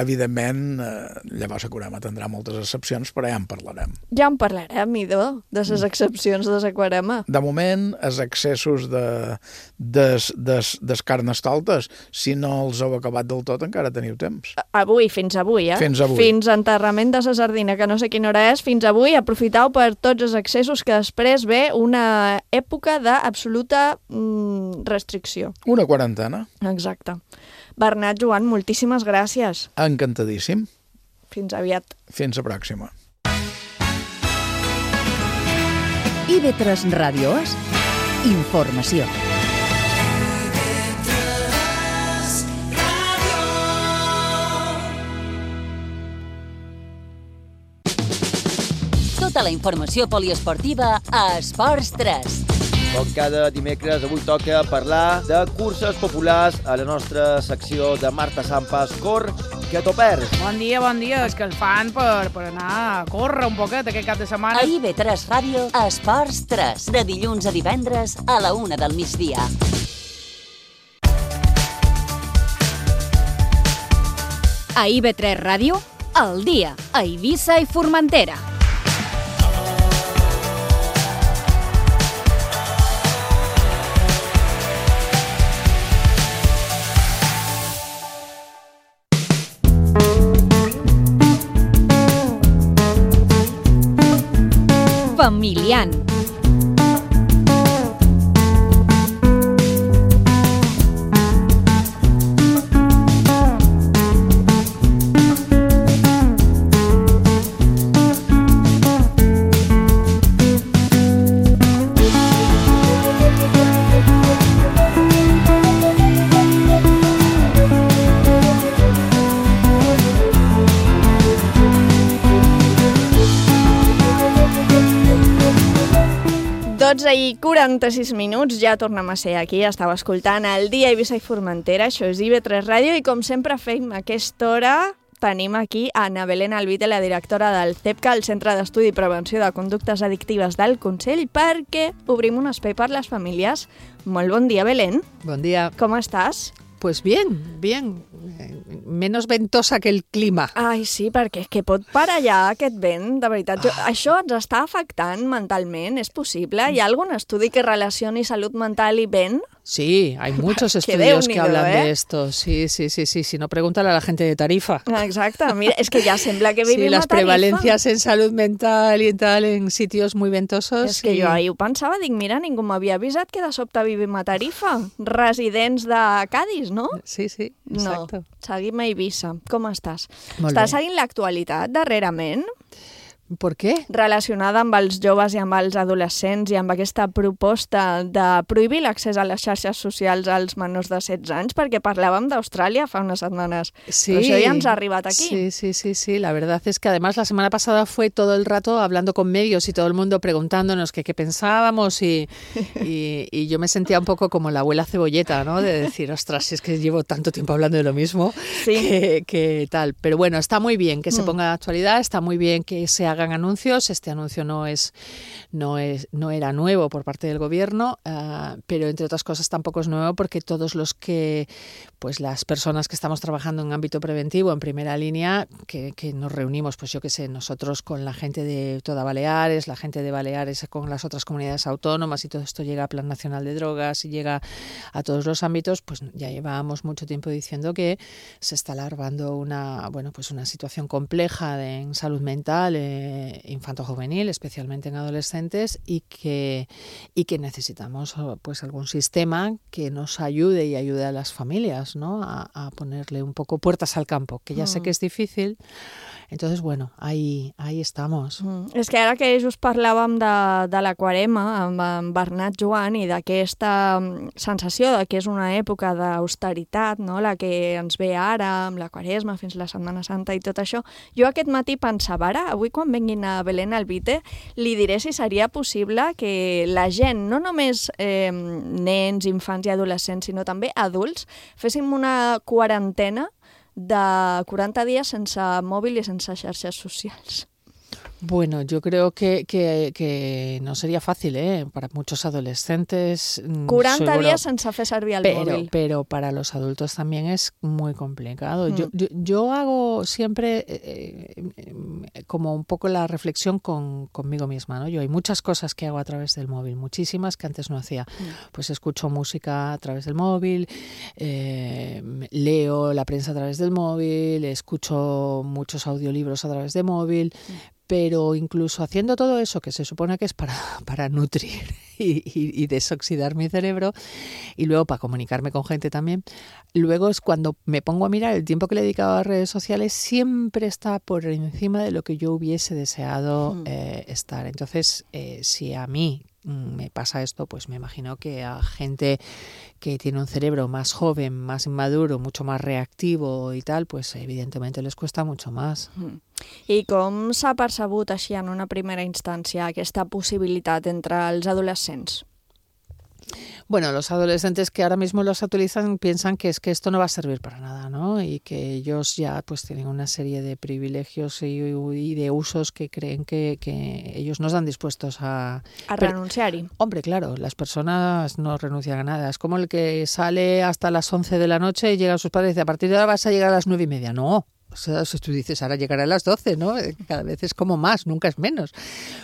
Evidentment, llavors la Corema tindrà moltes excepcions, però ja en parlarem. Ja en parlarem, idò, de les excepcions de la Corema. De moment, els excessos de carnestoltes, si no els heu acabat del tot, encara teniu temps. Fins avui, eh? Fins avui. Fins enterrament de la sardina, que no sé quina hora és, fins avui aprofiteu per tots els excessos, que després ve una època d'absoluta restricció. Una quarantena. Exacte. Bernat, Joan, moltíssimes gràcies. Encantadíssim. Fins aviat. Fins la pròxima. IB3 Ràdio és informació. Tota la informació poliesportiva a Esports 3. Com cada dimecres, avui toca parlar de curses populars a la nostra secció de Marta Sampas. Cor, que t'ho perds. Bon dia, és que el fan per anar a córrer un poquet aquest cap de setmana. A IB3 Ràdio, Esports 3, de dilluns a divendres a la 1 del migdia. A IB3 Ràdio, al dia, a Eivissa i Formentera. Familian. I 46 minuts, ja tornem a ser aquí, estava escoltant el dia Eivissa i Formentera, això és IB3 Ràdio i com sempre fem a aquesta hora tenim aquí a Ana Belén Alvite, la directora del CEPCA, el Centre d'Estudi i Prevenció de Conductes Addictives del Consell, perquè obrim un espai per les famílies. Molt bon dia, Belén. Bon dia. Com estàs? Pues bien. Menos ventosa que el clima. Ai, sí, perquè és que pot parar allà aquest vent, de veritat. Això ens està afectant mentalment, és possible? Hi ha algun estudi que relacioni salut mental i vent? Sí, hay muchos estudios que hablan de esto. Sí. Si no, pregúntale a la gente de Tarifa. Exacte. Mira, és que ja sembla que vivim a Tarifa. Sí, las prevalencias en salud mental y tal en sitios muy ventosos. És que jo ahir ho pensava, dic, mira, ningú m'havia avisat que de sobte vivim a Tarifa. Residents de Cádiz, no? Sí, exacto. No, seguim a Eivissa. Com estàs? Molt Estàs bé. seguint l'actualitat darrerament? Per què? Relacionada amb els joves i amb els adolescents i amb aquesta proposta de prohibir l'accés a les xarxes socials als menors de 16 anys, perquè parlàvem d'Austràlia fa unas semanas. Sí, pero això ya nos ha arribat aquí. Sí. La verdad es que además la semana pasada fue todo el rato hablando con medios y todo el mundo preguntándonos qué pensábamos y yo me sentía un poco como la abuela cebolleta, ¿no? De decir, ostras, si es que llevo tanto tiempo hablando de lo mismo que tal. Pero bueno, está muy bien que se ponga de actualidad, está muy bien que se hagan anuncios. Este anuncio no era nuevo por parte del gobierno, pero entre otras cosas tampoco es nuevo porque todos las personas que estamos trabajando en ámbito preventivo en primera línea, que nos reunimos, pues yo qué sé, nosotros con la gente de toda Baleares, la gente de Baleares con las otras comunidades autónomas, y todo esto llega a Plan Nacional de Drogas y llega a todos los ámbitos, pues ya llevábamos mucho tiempo diciendo que se está alargando una situación compleja en salud mental infanto-juvenil, especialmente en adolescentes, y que necesitamos pues algún sistema que nos ayude y ayude a las familias, ¿no? A ponerle un poco puertas al campo, que ya sé que és difícil. Entonces, bueno, ahí estamos. És que ara que just parlàvem de l'aquarema amb en Bernat Joan i d'aquesta sensació de que és una època d'austeritat, no? La que ens ve ara amb la Quaresma fins la Setmana Santa i tot això, jo aquest matí pensava, ara, avui quan venguin a Belén Alvite, li diré si seria possible que la gent, no només nens, infants i adolescents, sinó també adults, féssim una quarantena de 40 días sense mòbil i sense xarxes socials. Bueno, yo creo que no sería fácil, para muchos adolescentes. 40 días sense fer servir el móvil. Pero para los adultos también es muy complicado. Yo hago siempre como un poco la reflexión conmigo misma, ¿no? Yo hay muchas cosas que hago a través del móvil, muchísimas que antes no hacía. Pues escucho música a través del móvil, leo la prensa a través del móvil, escucho muchos audiolibros a través del móvil. Pero incluso haciendo todo eso, que se supone que es para nutrir y desoxidar mi cerebro, y luego para comunicarme con gente también, luego es cuando me pongo a mirar el tiempo que le he dedicado a las redes sociales, siempre está por encima de lo que yo hubiese deseado estar. Entonces, si a mí me pasa esto, pues me imagino que a gente que tiene un cerebro más joven, más inmaduro, mucho más reactivo y tal, pues evidentemente les cuesta mucho más. I com s'ha percebut així en una primera instància aquesta possibilitat entre els adolescents? Bueno, los adolescentes que ahora mismo los utilizan piensan que es que esto no va a servir para nada, ¿no? Y que ellos ya pues tienen una serie de privilegios y de usos que creen que ellos no están dispuestos a renunciar-hi. Hombre, claro, las personas no renuncian a nada. Es como el que sale hasta las 11 de la noche y llega a sus padres y dice, a partir de ahora vas a llegar a las 9:30. No. O sea, si tú dices, ahora llegará a las 12, ¿no? Cada vez es como más, nunca es menos.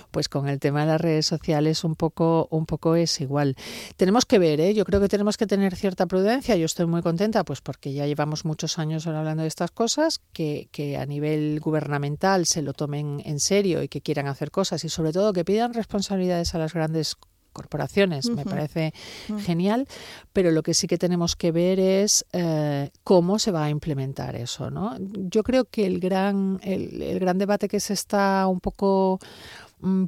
Pues con el tema de las redes sociales un poco es igual. Tenemos que ver, yo creo que tenemos que tener cierta prudencia. Yo estoy muy contenta, pues porque ya llevamos muchos años ahora hablando de estas cosas, que a nivel gubernamental se lo tomen en serio y que quieran hacer cosas y sobre todo que pidan responsabilidades a las grandes corporaciones, me parece genial, pero lo que sí que tenemos que ver es cómo se va a implementar eso, ¿no? Yo creo que el gran debate que se está un poco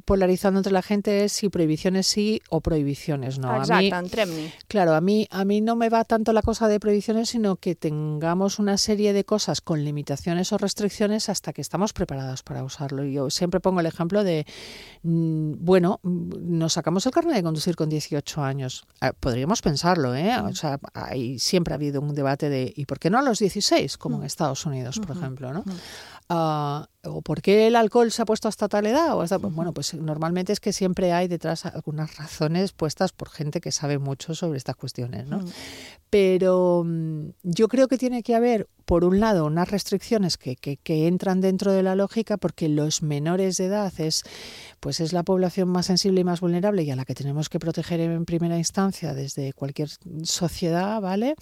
polarizando entre la gente es si prohibiciones sí o prohibiciones no. Exacte, entrem-hi. Claro, a mí no me va tanto la cosa de prohibiciones, sino que tengamos una serie de cosas con limitaciones o restricciones hasta que estamos preparados para usarlo. Yo siempre pongo el ejemplo de, bueno, nos sacamos el carnet de conducir con 18 años. Podríamos pensarlo, O sea, siempre ha habido un debate de ¿y por qué no a los 16? Como en Estados Unidos, por ejemplo, ¿no? ¿O por qué el alcohol se ha puesto hasta tal edad? Bueno, pues normalmente es que siempre hay detrás algunas razones puestas por gente que sabe mucho sobre estas cuestiones, ¿no? Pero yo creo que tiene que haber, por un lado, unas restricciones que entran dentro de la lógica, porque los menores de edad es la población más sensible y más vulnerable y a la que tenemos que proteger en primera instancia desde cualquier sociedad, ¿vale?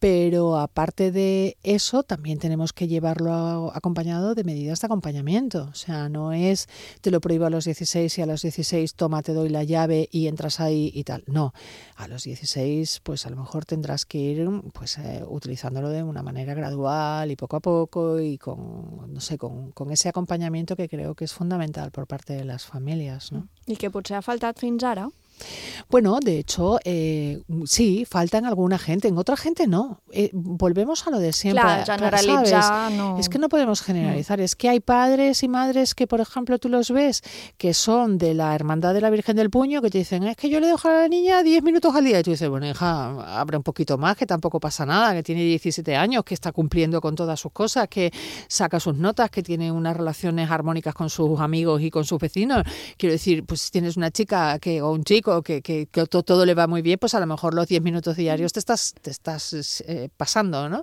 Pero aparte de eso, también tenemos que llevarlo acompañado de medidas de acompañamiento. O sea, no es te lo prohíbo a los 16 y a los 16 toma, te doy la llave y entras ahí y tal. No, a los 16 pues a lo mejor tendrás que ir pues utilizándolo de una manera gradual gradual y poco a poco y con ese acompañamiento que creo que es fundamental por parte de las familias, ¿no? I que potser ha faltat fins ara? Bueno, de hecho, sí, falta en alguna gente, en otra gente no. Volvemos a lo de siempre. Claro, generalitzar, ¿sabes? no. Es que no podemos generalizar. Es que hay padres y madres que, por ejemplo, tú los ves, que son de la Hermandad de la Virgen del Puño, que te dicen, es que yo le dejo a la niña 10 minutos al día. Y tú dices, bueno, hija, abre un poquito más, que tampoco pasa nada, que tiene 17 años, que está cumpliendo con todas sus cosas, que saca sus notas, que tiene unas relaciones armónicas con sus amigos y con sus vecinos. Quiero decir, pues si tienes una chica o un chico que todo le va muy bien, pues a lo mejor los 10 minutos diarios te estás pasando, ¿no?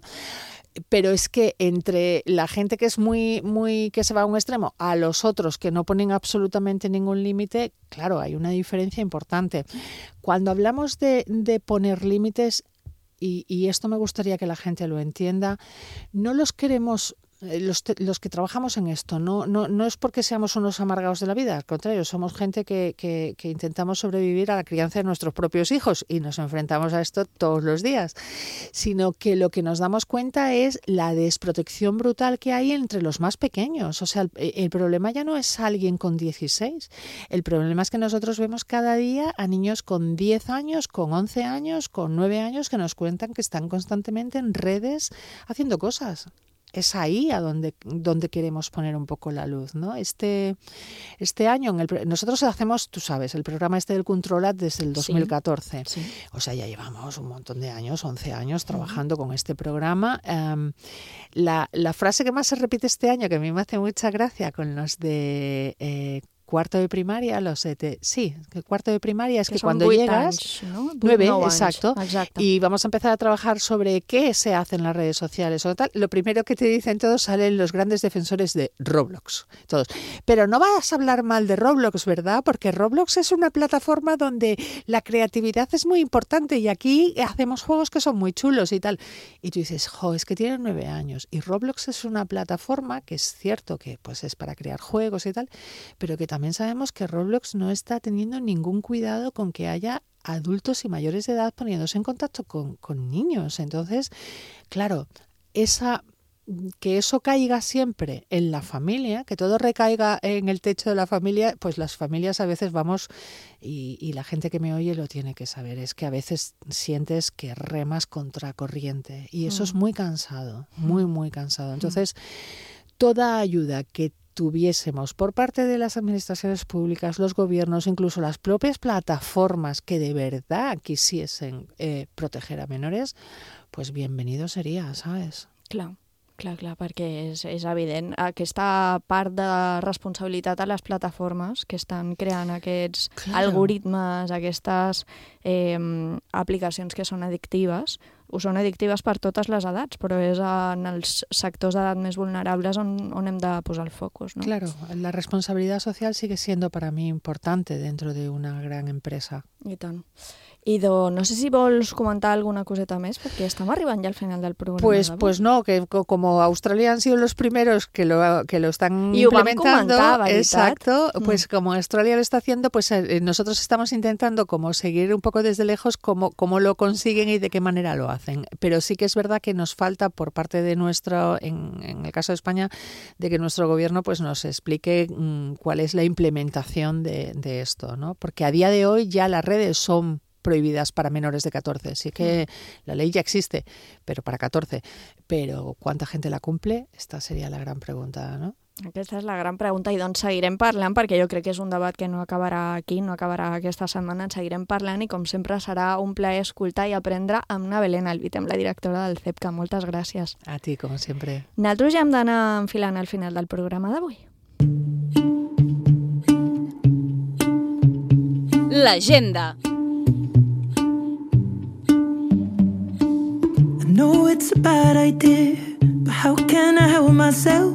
Pero es que entre la gente que es muy que se va a un extremo a los otros que no ponen absolutamente ningún límite, claro, hay una diferencia importante. Cuando hablamos de poner límites, y esto me gustaría que la gente lo entienda, no los queremos... Los que trabajamos en esto no es porque seamos unos amargados de la vida, al contrario, somos gente que intentamos sobrevivir a la crianza de nuestros propios hijos y nos enfrentamos a esto todos los días, sino que lo que nos damos cuenta es la desprotección brutal que hay entre los más pequeños. O sea, el problema ya no es alguien con 16, el problema es que nosotros vemos cada día a niños con 10 años, con 11 años, con 9 años que nos cuentan que están constantemente en redes haciendo cosas. Es ahí a donde queremos poner un poco la luz, ¿no? Este año, nosotros hacemos, tú sabes, el programa del Controlat desde el 2014. Sí. O sea, ya llevamos un montón de años, 11 años, trabajando con este programa. La frase que más se repite este año, que a mí me hace mucha gracia con los de... cuarto de primaria, cuarto de primaria es que cuando llegas... Anys, ¿no? 9, exacto. Y vamos a empezar a trabajar sobre qué se hace en las redes sociales o tal. Lo primero que te dicen todos, salen los grandes defensores de Roblox, todos. Pero no vas a hablar mal de Roblox, ¿verdad? Porque Roblox es una plataforma donde la creatividad es muy importante y aquí hacemos juegos que son muy chulos y tal. Y tú dices, es que tienen 9 años. Y Roblox es una plataforma que es cierto que pues es para crear juegos y tal, pero que también sabemos que Roblox no está teniendo ningún cuidado con que haya adultos y mayores de edad poniéndose en contacto con niños. Entonces, claro, que eso caiga siempre en la familia, que todo recaiga en el techo de la familia, pues las familias a veces vamos, y la gente que me oye lo tiene que saber, es que a veces sientes que remas contra corriente y eso es muy cansado, muy, muy cansado. Entonces, toda ayuda que tuviésemos por parte de las administraciones públicas, los gobiernos, incluso las propias plataformas que de verdad quisiesen proteger a menores, pues bienvenido seria, ¿sabes? Clar, perquè és evident. Aquesta part de responsabilitat a les plataformes que estan creant aquests algoritmes, aquestes aplicacions que són addictives, ho són addictives per totes les edats, però és en els sectors d'edat més vulnerables on hem de posar el focus, ¿no? Claro, la responsabilidad social sigue siendo para mí importante dentro de una gran empresa. I tant. Ido, no sé si vols comentar alguna coseta més, perquè estem arribant ja al final del programa. Pues no, que como Australia han sido los primeros que lo están implementando, exacto, pues como Australia lo está haciendo, pues nosotros estamos intentando como seguir un poco desde lejos cómo lo consiguen y de qué manera lo hacen. Pero sí que es verdad que nos falta por parte de nuestro, en el caso de España, de que nuestro gobierno pues nos explique cuál es la implementación de esto, ¿no? Porque a día de hoy ya las redes son prohibidas para menores de 14. Sí que la ley ya existe, pero para 14. Pero ¿cuánta gente la cumple? Esta sería la gran pregunta, ¿no? Aquesta és la gran pregunta i doncs seguirem parlant perquè jo crec que és un debat que no acabarà aquí, no acabarà aquesta setmana, en seguirem parlant i com sempre serà un plaer escoltar i aprendre amb una Belén Albitem, la directora del CEPCA. Moltes gràcies. A ti, com sempre. Nosaltres ja hem d'anar enfilant al final del programa d'avui. L'agenda. I know it's a bad idea, but how can I help myself?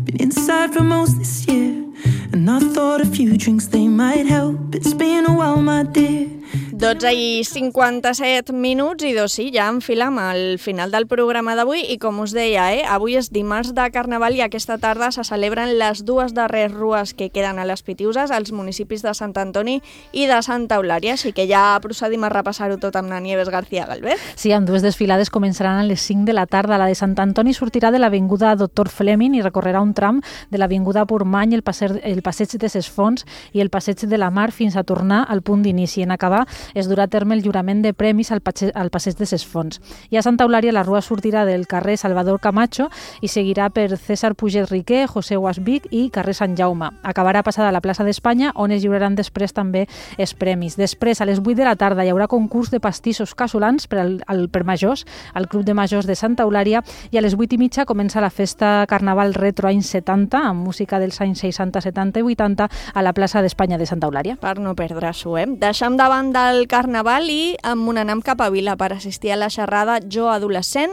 Been inside for most this year, and I thought a few drinks they might help. It's been a while, my dear. 12:57 i sí, ja enfilem al final del programa d'avui i com us deia, avui és dimarts de Carnaval i aquesta tarda se celebren les dues darreres rues que queden a les Pitiuses, als municipis de Sant Antoni i de Santa Eulària, així que ja procedim a repassar-ho tot amb la Nieves García Galvez. Sí, amb dues desfilades començaran a les 5 de la tarda. La de Sant Antoni sortirà de l'avinguda Dr. Fleming i recorrerà un tram de l'avinguda Portmany, el passeig de Ses Fonts i el passeig de la Mar fins a tornar al punt d'inici. En acabar es durà a terme el jurament de premis al passeig de Ses Fonts. I a Santa Eulària la rua sortirà del carrer Salvador Camacho i seguirà per César Puget Riquer, José Guasvic i carrer Sant Jaume. Acabarà passada a la plaça d'Espanya, on es lliuraran després també els premis. Després, a les 8 de la tarda, hi haurà concurs de pastissos casolans per majors al Club de Majors de Santa Eulària i a les 8:30 comença la festa Carnaval Retro anys 70 amb música dels anys 60, 70 i 80 a la plaça d'Espanya de Santa Eulària. Per no perdre-s'ho, Deixem davant del Carnaval i anem cap a Vila per assistir a la xerrada Jo Adolescent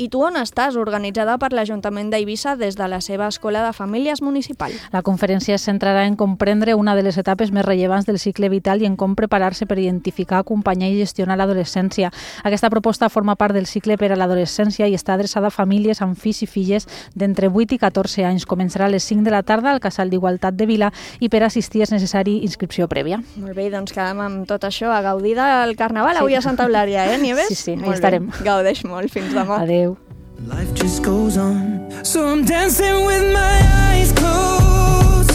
i Tu on estàs?, organitzada per l'Ajuntament d'Eivissa des de la seva Escola de Famílies Municipal. La conferència es centrarà en comprendre una de les etapes més rellevants del cicle vital i en com preparar-se per identificar, acompanyar i gestionar l'adolescència. Aquesta proposta forma part del cicle per a l'adolescència i està adreçada a famílies amb fills i filles d'entre 8 i 14 anys. Començarà a les 5 de la tarda al Casal d'Igualtat de Vila i per assistir és necessari inscripció prèvia. Molt bé, doncs quedem amb tot això a gaudir del Carnaval avui a Santa Eulària, Nieves? Sí, ahí estarem. Gaudeix molt, fins demà. Adéu. Life just goes on, so I'm dancing with my eyes closed.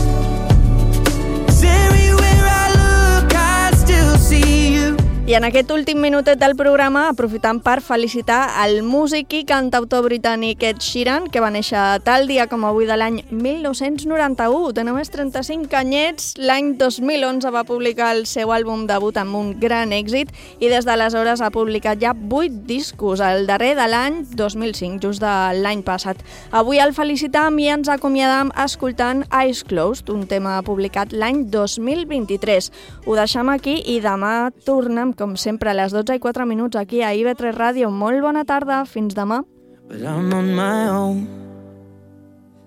'Cause everywhere I look, I still see you. I en aquest últim minutet del programa aprofitant per felicitar el músic i cantautor britànic Ed Sheeran, que va néixer tal dia com avui de l'any 1991. Té només 35 anyets. L'any 2011 va publicar el seu àlbum debut amb un gran èxit i des d'aleshores ha publicat ja 8 discos, el darrer de l'any 2005, just de l'any passat. Avui el felicitam i ens acomiadam escoltant Eyes Closed, un tema publicat l'any 2023. Ho deixem aquí i demà tornem com sempre, a les 12:04 aquí a IB3 Ràdio. Molt bona tarda, fins demà. But I'm on my own,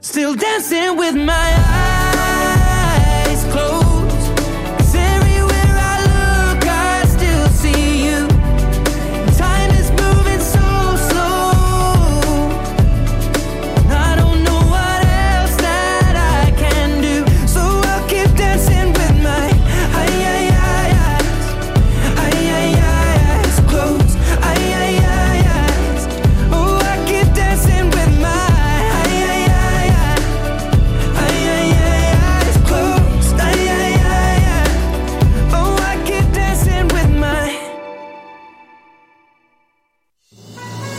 still dancing with my eyes.